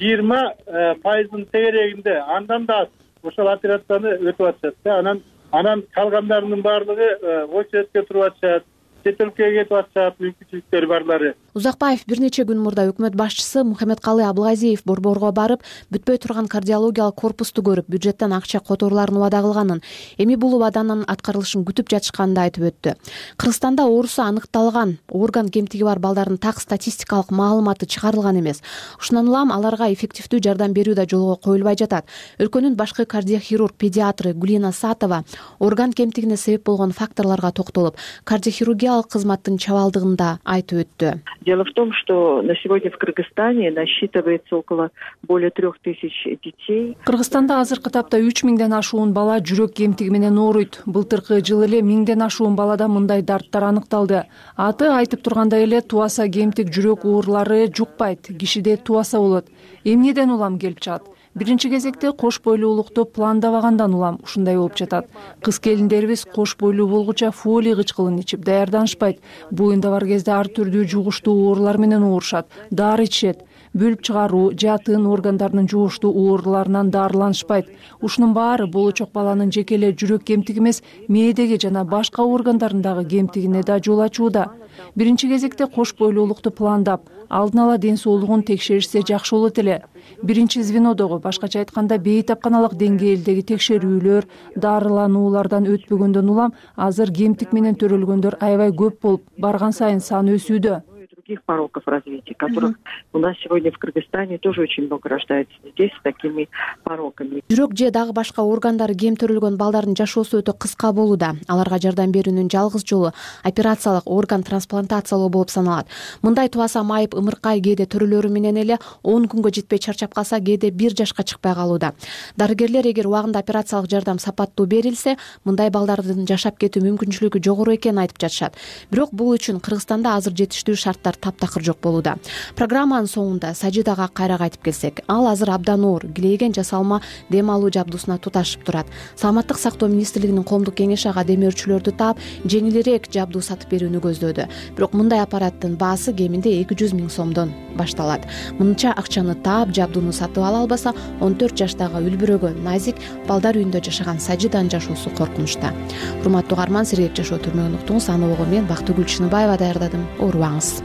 жыйырма пайызынын тегерегинде, андан да ошол операцияны өтүп атышат да. Анан анан калгандарынын баардыгы очередке туруп атышат, чет өлкөгө кетип атышат, мүмкүнчүлүктөрү барлары. Узакбаев бир нече күн мурда өкмөт башчысы Мухаммедкалый Абылгазиев борборго барып, бүтпөй турган кардиологиялык корпусту көрүп, бюджеттен акча которууларын убада кылганын, эми бул убаданын аткарылышын күтүп жатышканын да айтып өттү. Кыргызстанда оорусу аныкталган орган кемтиги бар балдардын так статистикалык маалыматы чыгарылган эмес. Ушундан улам аларга эффективдүү жардам берүү да жолго коюлбай жатат. Өлкөнүн башкы кардиохирург педиатры Гулина Сатова орган кемтигине себеп болгон факторлорго токтолуп, кардиохирургиялык кызматтын чабалдыгын да айтып өттү. Дело в том, что на сегодня в Кыргызстане насчитывается около более трех тысяч детей. Кыргызстанда азыркы тапта үч миңден ашуун бала жүрөк кемтиги менен ооруйт. Былтыркы жылы эле миңден ашуун балада мындай дарттар аныкталды. Аты айтып тургандай эле туаса кемтик жүрөк оорулары жукпайт, кишиде туаса болот. Эмнеден улам келип чыгат? Биринчи кезекте кош бойлуулукту пландабагандан улам ушундай болуп жатат. Кыз келиндерибиз кош бойлуу болгуча фолий кычкылын ичип даярданышпайт. Буюнда бар кезде ар түрдүү жугуштуу оорулар менен оорушат. Дары ичишет. Бөлүп чыгаруу, жатын органдарынын жугуштуу ооруларынан дарыланышпайт. Ушунун баары болочок баланын жеке эле жүрөк кемтиги эмес, мээдеги жана башка органдарындагы кемтигине да жол ачууда. Биринчи кезекте кош бойлуулукту пландап, алдын ала ден соолугун текшеришсе жакшы болот эле. Биринчи звенодогу, башкача айтканда бейтапканалык деңгээлдеги текшерүүлөр, дарылануулардан өтпөгөндөн улам азыр кемтик менен төрөлгөндөр аябай көп болуп, барган сайын саны өсүүдө. Других пороков развития, которых у нас сегодня в Кыргызстане тоже очень много рождается детей с такими пороками. Жүрөк же дагы башка органдары кем төрөлгөн балдардын жашоосу өтө кыска болууда. Аларга жардам берүүнүн жалгыз жолу операциялык орган трансплантациялоо болуп саналат. Мындай туаса майып ымыркай кээде төрөлөрү менен эле он күнгө жетпей чарчап калса, кээде бир жашка чыкпай калууда. Дарыгерлер эгер убагында операциялык жардам сапаттуу берилсе, мындай балдардын жашап кетүү мүмкүнчүлүгү жогору экенин айтып жатышат. Бирок бул үчүн Кыргызстанда азыр жетиштүү шарттар таптакыр жок болууда. Программанын соңунда Сажидага кайра кайтып келсек, ал азыр абдан оор килейген жасалма дем алуу жабдуусуна туташып турат. Саламаттык сактоо министрлигинин коомдук кеңеши ага демөөрчүлөрдү таап жеңилирээк жабдуу сатып берүүнү көздөөдү. Бирок мындай аппараттын баасы кеминде эки жүз миң сомдон башталат. Мынча акчаны таап жабдууну сатып ала албаса, он төрт жаштагы үлбүрөгөн назик балдар үйүндө жашаган Сажиданын жашоосу коркунучта. Урматтуу угарман, сергек жашоо түрмөгүн уктуңуз. Аны ого мен Бактыгүл Чыныбаева даярдадым. Оорубаңыз.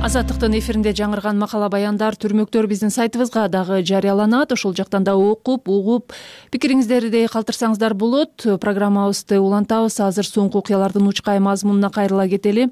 Азаттыктын эфиринде жаңырган макала баяндар, түрмөктөр биздин сайтыбызга дагы жарыяланат. Ошол жактан да окуп, угуп, пикириңиздерди калтырсаңыздар болот. Программабызды улантабыз. Азыр соңку окуялардын учкай мазмунуна кайрыла кетели.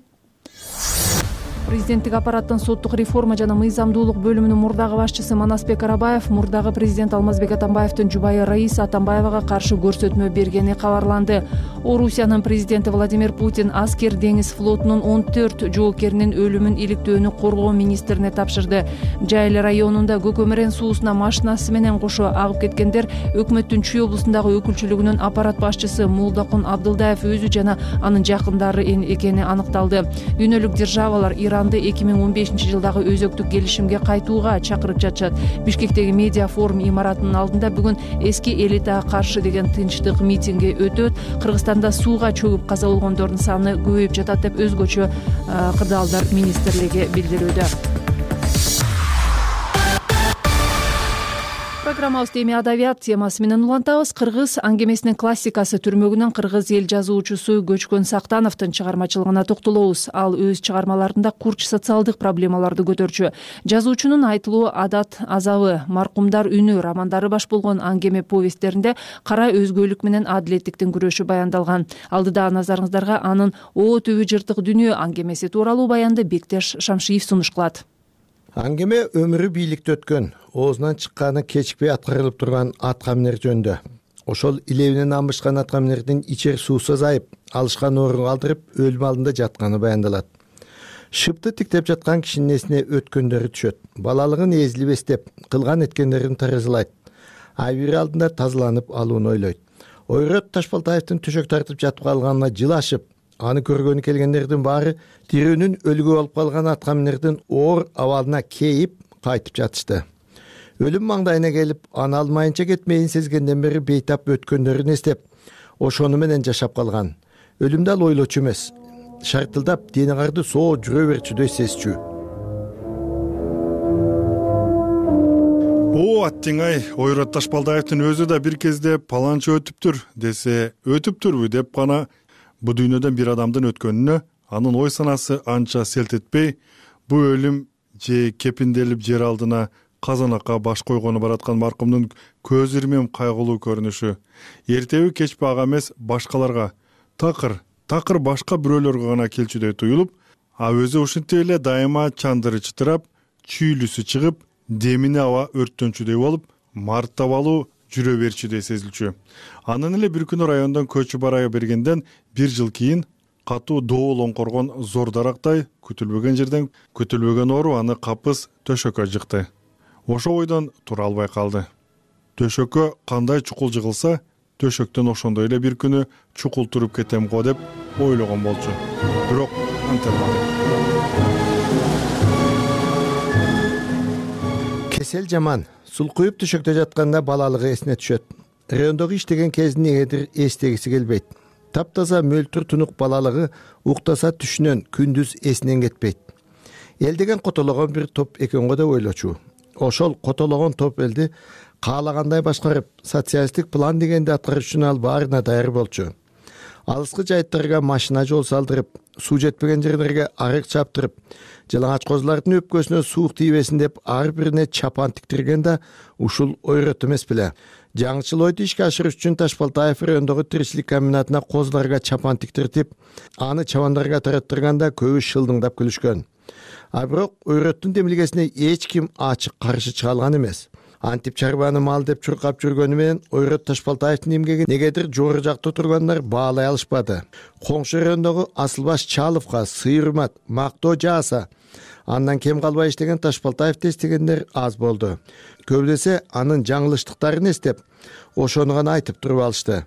Президенттик аппараттын соттук реформа жана мыйзамдуулук бөлүмүнүн мурдагы башчысы Манасбек Арабаев мурдагы президент Алмазбек Атамбаевдин жубайы Раиса Атамбаевага каршы көрсөтмө бергени кабарланды. Орусиянын президенти Владимир Путин аскер деңиз флотунун он төрт жоокеринин өлүмүн иликтөөнү коргоо министрине тапшырды. Жайыл районунда Көкөмөрен суусуна машинасы менен кошо агып кеткендер өкмөттүн Чүй облусундагы өкүлчүлүгүнүн аппарат башчысы Молдокун Абдылдаев өзү жана анын жакындары экени аныкталды. Дүйнөлүк державалар Иранды эки миң он бешинчи жылдагы өзөктүк келишимге кайтууга чакырып жатышат. Бишкектеги медиа форум имаратынын алдында бүгүн эски элитага каршы деген тынчтык митинги өтөт. Кыргызстанда сууга чөгүп каза болгондордун саны көбөйүп жатат деп өзгөчө кырдаалдар министрлиги билдирүүдө. Программабызды эми адабият темасы менен улантабыз. Кыргыз аңгемесинин классикасы түрмөгүнөн кыргыз эл жазуучусу Көчкөн Сактановдун чыгармачылыгына токтолобуз. Ал өз чыгармаларында курч социалдык проблемаларды көтөрчү. Жазуучунун айтылуу адат азабы, маркумдар үнү романдары баш болгон аңгеме повесттеринде кара өзгөлүк менен адилеттиктин күрөшү баяндалган. Алдыда назарыңыздарга анын О түбү жыртык дүйнө аңгемеси тууралуу баянды Бектеш Шамшиев сунуш кылат. Аңгеме өмүрү бийликте өткөн, оозунан чыкканы кечикпей аткарылып турган аткаминер жөнүндө. Ошол илебинен амбышкан аткаминердин ичер суусу азайып, алышкан орунга алдырып, өлүм алдында жатканы баяндалат. Шыпты тиктеп жаткан кишинин эсине өткөндөрү түшөт. Балалыгын эзилип эстеп, кылган эткендерин таразылайт. Айбири алдында тазаланып алууну ойлойт. Ойрот Ташбалтаевдин төшөк тартып жатып калганына жылашып, аны көргөнү келгендердин баары тирүүнүн өлүгү болуп калган аткаминердин оор абалына кейип кайтып жатышты. Өлүм маңдайына келип, аны алмайынча кетмейин сезгенден бери бейтап өткөндөрүн эстеп, ошону менен жашап калган. Өлүмдү ал ойлочу эмес, шартылдап дени карды соо жүрө берчүдөй сезчү. О, аттиңай, Ойрот Ташбалдаевдин өзү да бир кезде паланчы өтүптүр десе, өтүптүрбү деп гана бу дүйнөдөн бир адамдын өткөнүнө анын ой санасы анча селт этпей, бу өлүм же кепинделип жер алдына казанакка баш койгону бараткан маркумдун көз ирмем кайгылуу көрүнүшү эртеби кечпи ага эмес башкаларга, такыр, такыр башка бирөөлөргө гана келчүдөй туюлуп, а өзү ушинтип эле дайыма чандыры чытырап, чүйлүсү чыгып, демине аба өрттөнчүдөй болуп, мартабалуу жүрө берчүдөй сезилчү. Анан эле бир күнү райондон көчүп бара бергенден бир жыл кийин катуу доол оңкоргон зор дарактай күтүлбөгөн жерден күтүлбөгөн оору аны капыс төшөккө жыкты. Ошо ойдон тура албай калды. Төшөккө кандай чукул жыгылса, төшөктөн ошондой эле бир күнү чукул туруп кетем го деп ойлогон болчу. Бирок анталмады. Кесел жаман. Сулкуюп төшөктө жатканда балалыгы эсине түшөт. Райондогу иштеген кезин негедир эстегиси келбейт. Таптаза мөлтүр тунук балалыгы уктаса түшүнөн күндүз эсинен кетпейт. Эл деген котологон бир топ экен го деп ойлочу. Ошол котологон топ элди каалагандай башкарып, социалисттик план дегенди аткарыш үчүн ал баарына даяр болчу. Алыскы жайыттарга машина жол салдырып, суу жетпеген жерлерге арык чаптырып, жалаңач козулардын өпкөсүнө суук тийбесин деп ар бирине чапан тиктирген да ушул ойрот эмес беле. Жаңычыл ойду ишке ашырыш үчүн Ташбалтаев райондогу тиричилик комбинатына козуларга чапан тиктиртип, аны чабандарга тараттырганда көбү шылдыңдап күлүшкөн. А бирок ойроттун демилгесине эч ким ачык каршы чыга алган эмес. Антип чарбаны мал деп чуркап жүргөнү менен Ойрот Ташбалтаевдин эмгеги негедир жогору жакта тургандар баалай алышпады. Коңшу райондогу Асылбаш Чаловго сый-урмат, мактоо жааса, андан кем калбай иштеген Ташбалтаевди эстегендер аз болду. Көбү десе анын жаңылыштыктарын эстеп, ошону гана айтып туруп алышты.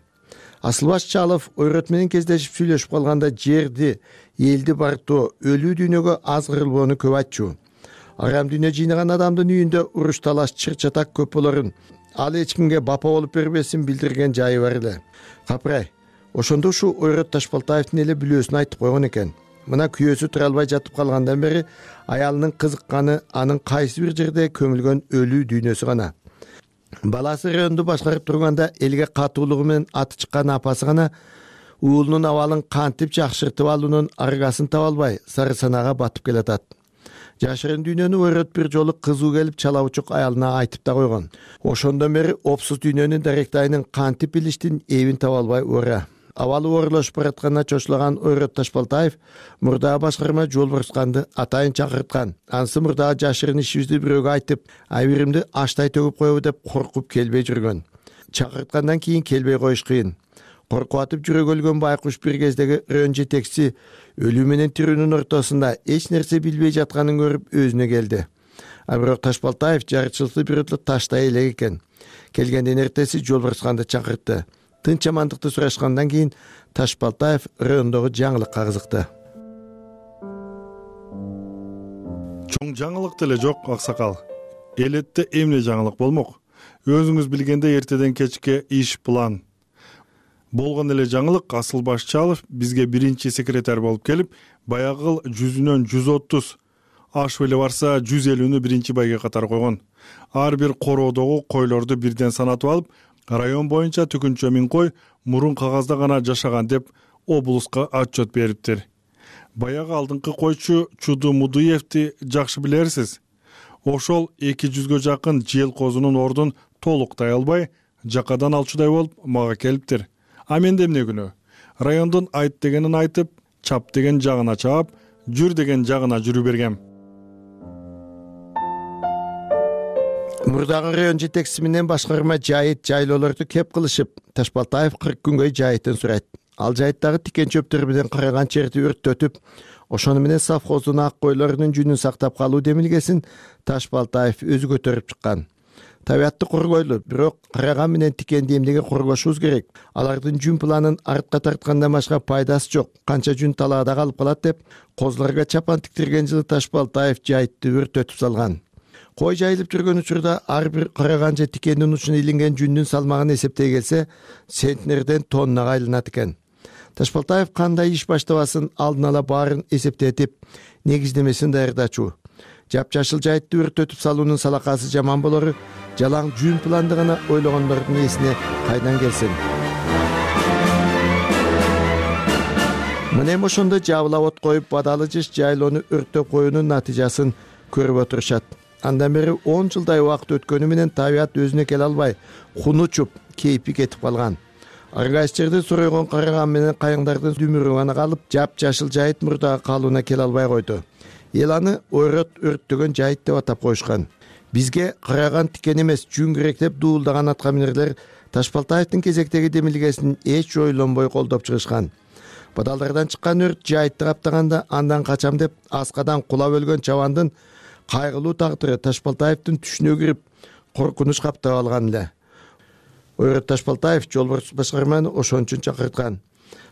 Асылбаш Чалов ойрот менен кездешип сүйлөшүп калганда жерди, элди барктоо, өлүү дүйнөгө аз кырылбоону көп айтчу. Арам дүйнө жыйнаган адамдын үйүндө уруш талаш, чыр-чатак көп болорун, ал эч кимге бапа болуп бербесин билдирген жайы бар эле. Капырай, ошондо ушу Ойрот Ташбалтаевдин эле бүлөөсүн айтып койгон экен. Мына күйөөсү тура албай жатып калгандан бери аялынын кызыкканы анын кайсы бир жерде көмүлгөн өлүү дүйнөсү гана. Баласы районду башкарып турганда элге катуулугу менен аты чыккан апасы гана уулунун абалын кантип жакшыртып алуунун аргасын таба албай сары санаага батып келатат. Жашырын дүйнөнү Ойрот бир жолу кызуу келип чала учук аялына айтып да койгон. Ошондон бери опсуз дүйнөнүн даректайынын кантип билиштин эбин таба албай ора. Абалы оорулашып баратканына чочулаган Ойрот Ташбалтаев мурдагы башкарма Жолборсканды атайын чакырткан. Анысы мурдагы жашырын ишибизди бирөөгө айтып, айбиримди аштай төгүп коебу деп коркуп келбей жүргөн. Чакырткандан кийин келбей коюш кыйын. Коркуп атып жүрөгү өлгөн байкуш бир кездеги район жетекчиси өлүү менен тирүүнүн ортосунда эч нерсе билбей жатканын көрүп өзүнө келди. А бирок Ташбалтаев жарычылыкты бирөөдө таштай элек экен. Келгенден эртеси Жолборсканды чакыртты. Тынч амандыкты сурашкандан кийин Ташбалтаев райондогу жаңылыкка кызыкты. Чоң жаңылык деле жок, аксакал. Элетте эмне жаңылык болмок? Өзүңүз билгендей эртеден кечке иш план. Болгон эле жаңылык Асылбаш Чалов бизге биринчи секретарь болуп келип, баягы жүзүнөн жүз отуз, ашып эле барса жүз элүүнү биринчи байге катар койгон. Ар бир короодогу койлорду бирден санатып алып, район боюнча түкүнчө миң кой мурун кагазда гана жашаган деп облуска отчет бериптир. Баягы алдыңкы койчу Чуду Мудуевди жакшы билерсиз. Ошол эки жүзгө жакын жел козунун ордун толуктай албай, жакадан алчудай болуп мага келиптир. А менде эмне күнөө? Райондун айт дегенин айтып, чап деген жагына чаап, жүр деген жагына жүрү бергем. Мурдагы район жетекчиси менен башкарма жайыт жайлоолорду кеп кылышып, Ташбалтаев кырк күнгө жайытын сурайт. Ал жайыттагы тикен чөптөр менен караган жерди өрттөтүп, ошону менен совхоздун ак койлорунун жүнүн сактап калуу демилгесин Ташбалтаев өзү көтөрүп чыккан. Табиатты коргойлу, бирок караган менен тикенди эмнеге коргошубуз керек? Алардын жүн планын артка тарткандан башка пайдасы жок. Канча жүн талаада калып калат деп, козуларга чапан тиктирген жылы Ташбалтаев жайытты өрттөтүп салган. Кой жайылып жүргөн учурда ар бир караган же тикендин учуна илинген жүндүн салмагын эсептей келсе, центнерден тоннага айланат экен. Ташбалтаев кандай иш баштабасын алдын ала баарын эсептетип, негиздемесин даярдачу. Жапжашыл жайытты өрттөтүп салуунун салакасы жаман болору, жалаң жүн планды гана ойлогондордун эсине кайдан келсин. Мына ошондо жабыла от коюп, бадалы жыш жайлоону өрттөп коюунун натыйжасын көрүп отурушат. Андан бери он жылдай убакыт өткөнү менен табиат өзүнө келе албай, хуну учуп, кейпи кетип калган. Аргайчтарды суройгон караган менен кайыңдардын дүмүрү гана калып, жапжашыл жайыт мурдагы калууна келе албай койду. Эл аны Ойрот өрттөгөн жайыт деп атап коюшкан. Бизге караган тикен эмес, жүн керек деп дуулдаган аткаминерлер Ташбалтаевдин кезектеги демилгесин эч ойлонбой колдоп чыгышкан. Бадалдардан чыккан өрт жайытты каптаганда андан качам деп аскадан кулап өлгөн чабандын кайгылуу тагдыры Ташбалтаевдин түшүнө кирип, коркунуч каптап алган эле. Ойрот Ташбалтаев Жолборс башкарманы ошон үчүн чакырткан.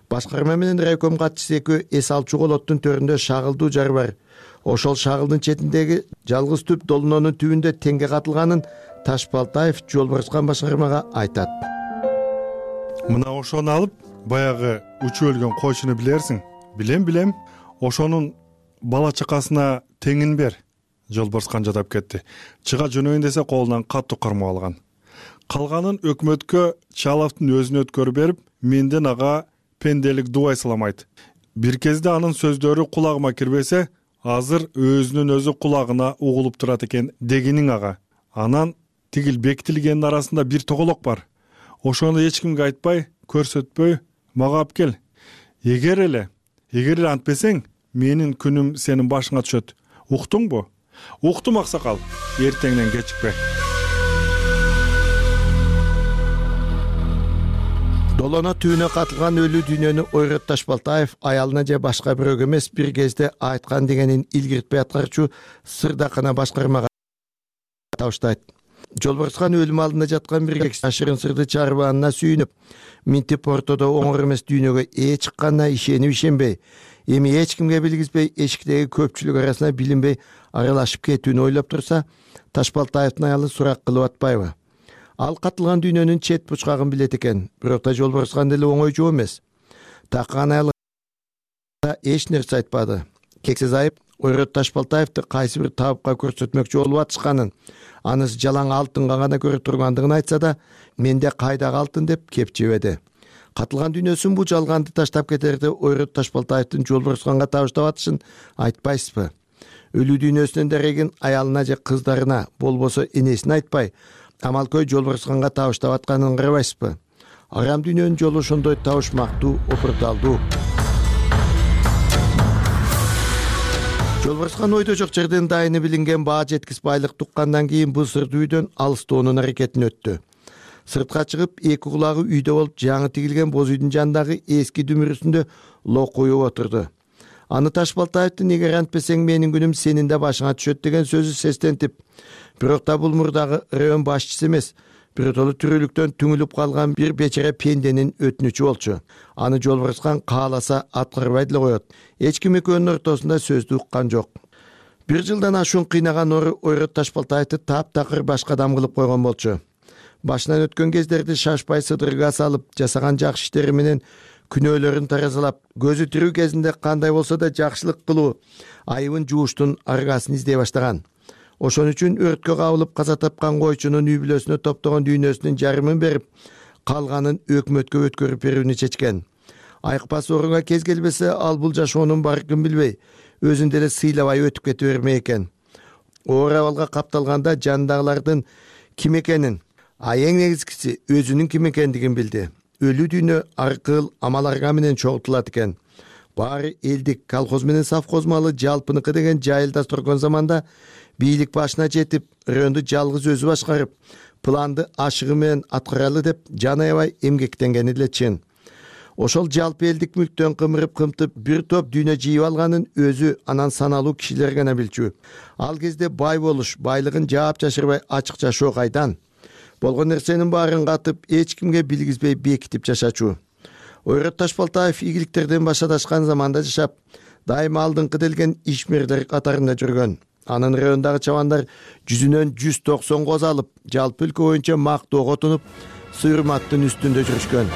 Башкарма менен райком катчысы экөө эс алчу колоттун төрүндө шагылдуу жар бар. Ошол шагылдын четиндеги жалгыз түп долунонун түбүндө теңге катылганын Ташбалтаев Жолборскан башкармага айтат. Мына ошону алып, баягы учуп өлгөн койчуну билерсиң? Билем, билем. Ошонун бала чакасына теңин бер. Жолборскан жадап кетти. Чыга жөнөйүн десе колунан катуу кармап алган. Калганын өкмөткө Чаловдун өзүнө өткөрүп берип, менден ага пенделик дубай саламайт. Бир кезде анын сөздөрү кулагыма кирбесе, азыр өзүнүн өзү кулагына угулуп турат экен дегениң ага. Анан тигил бекитилгендин арасында бир тоголок бар. Ошону эч кимге айтпай, көрсөтпөй мага алып кел. Эгер эле, эгер эле антпесең, менин күнүм сенин башыңа түшөт. Уктуңбу? Уктум аксакал. Эртеңден кечикпе. Долоно түбүнө катылган өлүү дүйнөнү Ойрот Ташбалтаев аялына же башка бирөөгө эмес бир кезде айткан дегенин илгиртпей аткарчу Сырдакана башкармага табыштайт. Жолборскан өлүм алдында жаткан бир жашырын сырды чарбаанына сүйүнүп, минтип ортодо оңор эмес дүйнөгө ээ чыкканына ишенип ишенбей, эми эч кимге билгизбей эшиктеги көпчүлүк арасына билинбей аралашып кетүүнү ойлоп турса, Ташбалтаевдин аялы сурак кылып атпайбы? Ал катылган дүйнөнүн чет бучкагын билет экен, бирок да Жолборскан деле оңой жоо эмес. Таккан аялы эч нерсе айтпады. Кексиз айып Ойрат Ташбалтаевди кайсы бир табыпка көрсөтмөкчү болуп атышканын, анысы жалаң алтынга гана көрө тургандыгын айтса да, менде кайдагы алтын деп кеп жебеди. Катылган дүйнөсүн бул жалганды таштап кетерде Ойрат Ташбалтаевдин Жолборсканга табыштап атышын айтпайсызбы? Өлүү дүйнөсүнөн дерегин аялына же кыздарына, болбосо энесине айтпай, Амалкөй Жолборсканга табыштап атканын карабайсызбы? Арам дүйнөнүн жолу ошондой табышмактуу, опурталдуу. Жолборскан ойдо жок жерден дайыны билинген баа жеткис байлык туккандан кийин бул сырдуу үйдөн алыстоонун аракетин өттү. Сыртка чыгып, эки кулагы үйдө болуп, жаңы тигилген боз үйдүн жанындагы эски дүмүрүсүндө локуюп отурду. Аны Ташбалтаевдин эгер антпесең менин күнүм сенин да башыңа түшөт деген сөзү сестентип, бирок да бул мурдагы район башчысы эмес, биротолу тирүүлүктөн түңүлүп калган бир бечара пенденин өтүнүчү болчу. Аны Жолборскан кааласа аткарбай деле коет. Эч ким экөөнүн ортосунда сөздү уккан жок. Бир жылдан ашуун кыйнаган ору Ойрат Ташбалтаевди таптакыр башка адам кылып койгон болчу. Башынан өткөн кездерди шашпай сыдырга салып, жасаган жакшы иштери менен күнөөлөрүн таразалап, көзү тирүү кезинде кандай болсо да жакшылык кылуу, айыбын жууштун аргасын издей баштаган. Ошон үчүн өрткө кабылып каза тапкан койчунун үй бүлөсүнө топтогон дүйнөсүнүн жарымын берип, калганын өкмөткө өткөрүп берүүнү чечкен. Айыкпас орунга кез келбесе, ал бул жашоонун баркын билбей, өзүн деле сыйлабай өтүп кете бермек экен. Оор абалга капталганда жанындагылардын ким экенин, а эң негизгиси өзүнүн ким экендигин билди. Өлүү дүйнө аркыл, амал-арга менен чогултулат экен. Баары элдик, колхоз менен совхоз малы жалпыныкы деген жайылда турган заманда бийлик башына жетип, районду жалгыз өзү башкарып, планды ашыгы менен аткаралы деп жан аябай эмгектенгени деле чын. Ошол жалпы элдик мүлктөн кымырып кымтып бир топ дүйнө жыйып алганын өзү анан саналуу кишилер гана билчү. Ал кезде бай болуш, байлыгын жаап жашырбай ачык жашоо кайдан? Болгон нерсенин баарын катып, эч кимге билгизбей бекитип жашачу. Ойрат Ташбалтаев ийгиликтерден башадашкан заманда жашап, дайыма алдыңкы делген ишмерлер катарында жүргөн. Анын райондагы чабандар жүзүнөн жүз токсон коз алып, жалпы өлкө боюнча мактоого тунуп, сыйырматтын үстүндө жүрүшкөн.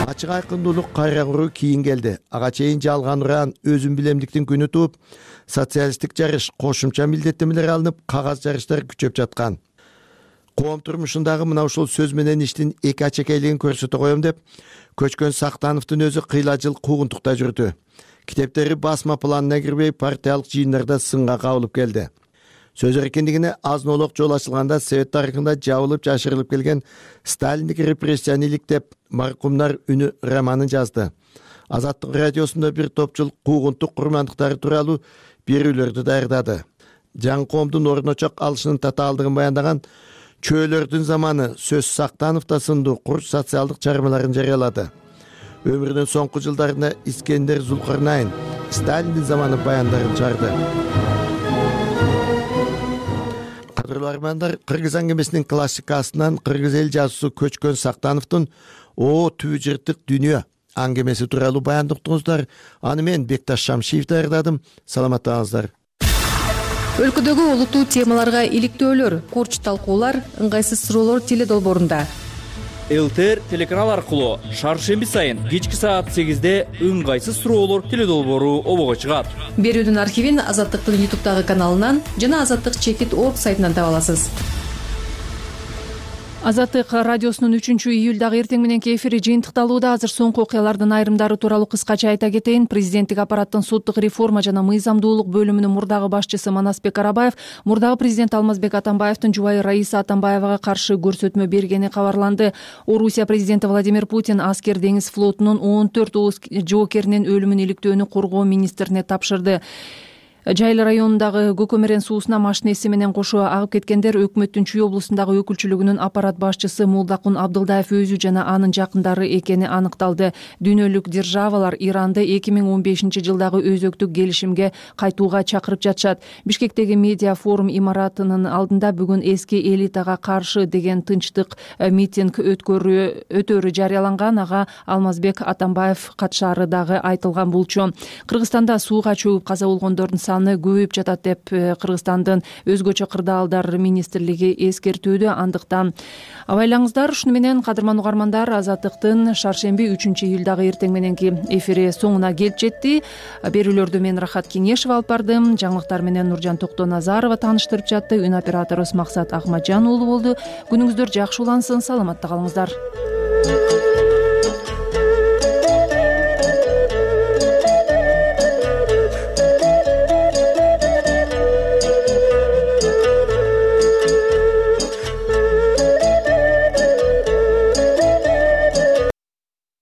Ачык айкындуулук кайра куруу кийин келди. Ага чейин жалган уран, өзүн билемдиктин күнү тууп, социалисттик жарыш, кошумча милдеттенмелер алынып, кагаз жарыштар күчөп жаткан. Коом турмушундагы мына ушул сөз менен иштин эки ачекейлигин көрсөтө коем деп, Көчкөн Сактановдун өзү кыйла жыл куугунтукта жүрдү. Китептери басма планына кирбей, партиялык жыйындарда сынга кабылып келди. Сөз эркиндигине азнолок жол ачылганда Совет тарыхында жабылып жашырылып келген Сталиндик репрессияны иликтеп, маркумдар үнү романын жазды. Азаттык радиосунда бир топ жыл куугунтук курмандыктары тууралуу берүүлөрдү даярдады. Жаңы коомдун орночок алышынын татаалдыгын баяндаган Чөөлөрдүн заманы сөз Сактановдо сындуу кур социалдык чыгармаларын жарыялады. Өмүрүнүн соңку жылдарында Искендер Зулкарнайын Сталиндин заманы баяндарын чыгарды. Кадырлуу армандар, Кыргыз аңгемесинин классикасынан кыргыз эл жазуусу Көчкөн Сактановдун «О түбү жыртык дүйнө» аңгемеси тууралуу баяндыктыңыздар. Аны мен Бекташ Шамшиев даярдадым. Саламаттаңыздар. Өлкөдөгү олуттуу темаларга иликтөөлөр, курч талкуулар, ыңгайсыз суроолор теле долбоорунда. ЛТР телеканал аркылуу шаршемби сайын кечки саат сегизде ыңгайсыз суроолор теле долбоору обого чыгат. Берүүдүн архивин Азаттыктын ютубтагы каналынан жана Азаттык чекит орг сайтынан таба аласыз. Азаттык радиосунун үчүнчү июлдагы эртең мененки эфири жыйынтыкталууда. Азыр соңку окуялардын айрымдары тууралуу кыскача айта кетейин. Президенттик аппараттын соттук реформа жана мыйзамдуулук бөлүмүнүн мурдагы башчысы Манасбек Арабаев мурдагы президент Алмазбек Атамбаевдин жубайы Раиса Атамбаевага каршы көрсөтмө бергени кабарланды. Орусия президенти Владимир Путин аскер деңиз флотунун он төрт жоокеринин өлүмүн иликтөөнү коргоо министрине тапшырды. Жайыл районундагы Көкөмерен суусуна машинеси менен кошо агып кеткендер өкмөттүн Чүй облусундагы өкүлчүлүгүнүн аппарат башчысы Мулдакун Абдылдаев өзү жана анын жакындары экени аныкталды. Дүйнөлүк державалар Иранды эки миң он бешинчи жылдагы өзөктүк келишимге кайтууга чакырып жатышат. Бишкектеги медиа форум имаратынын алдында бүгүн эски элитага каршы деген тынчтык митинг өткөрүү өтөрү жарыяланган. Ага Алмазбек Атамбаев катышаары дагы айтылган болчу. Кыргызстанда сууга чөгүп каза болгондордун саны көбөйүп жатат деп Кыргызстандын өзгөчө кырдаалдар министрлиги эскертүүдө. Андыктан абайлаңыздар. Ушуну менен кадырман угармандар, Азаттыктын шаршемби үчүнчү июлдагы эртең мененки эфири соңуна келип жетти. Берүүлөрдү мен Рахат Кеңешева алып бардым. Жаңылыктар менен Нуржан Токтоназарова тааныштырып жатты. Үн операторубуз Максат Акматжан уулу болду. Күнүңүздөр жакшы улансын, саламатта калыңыздар.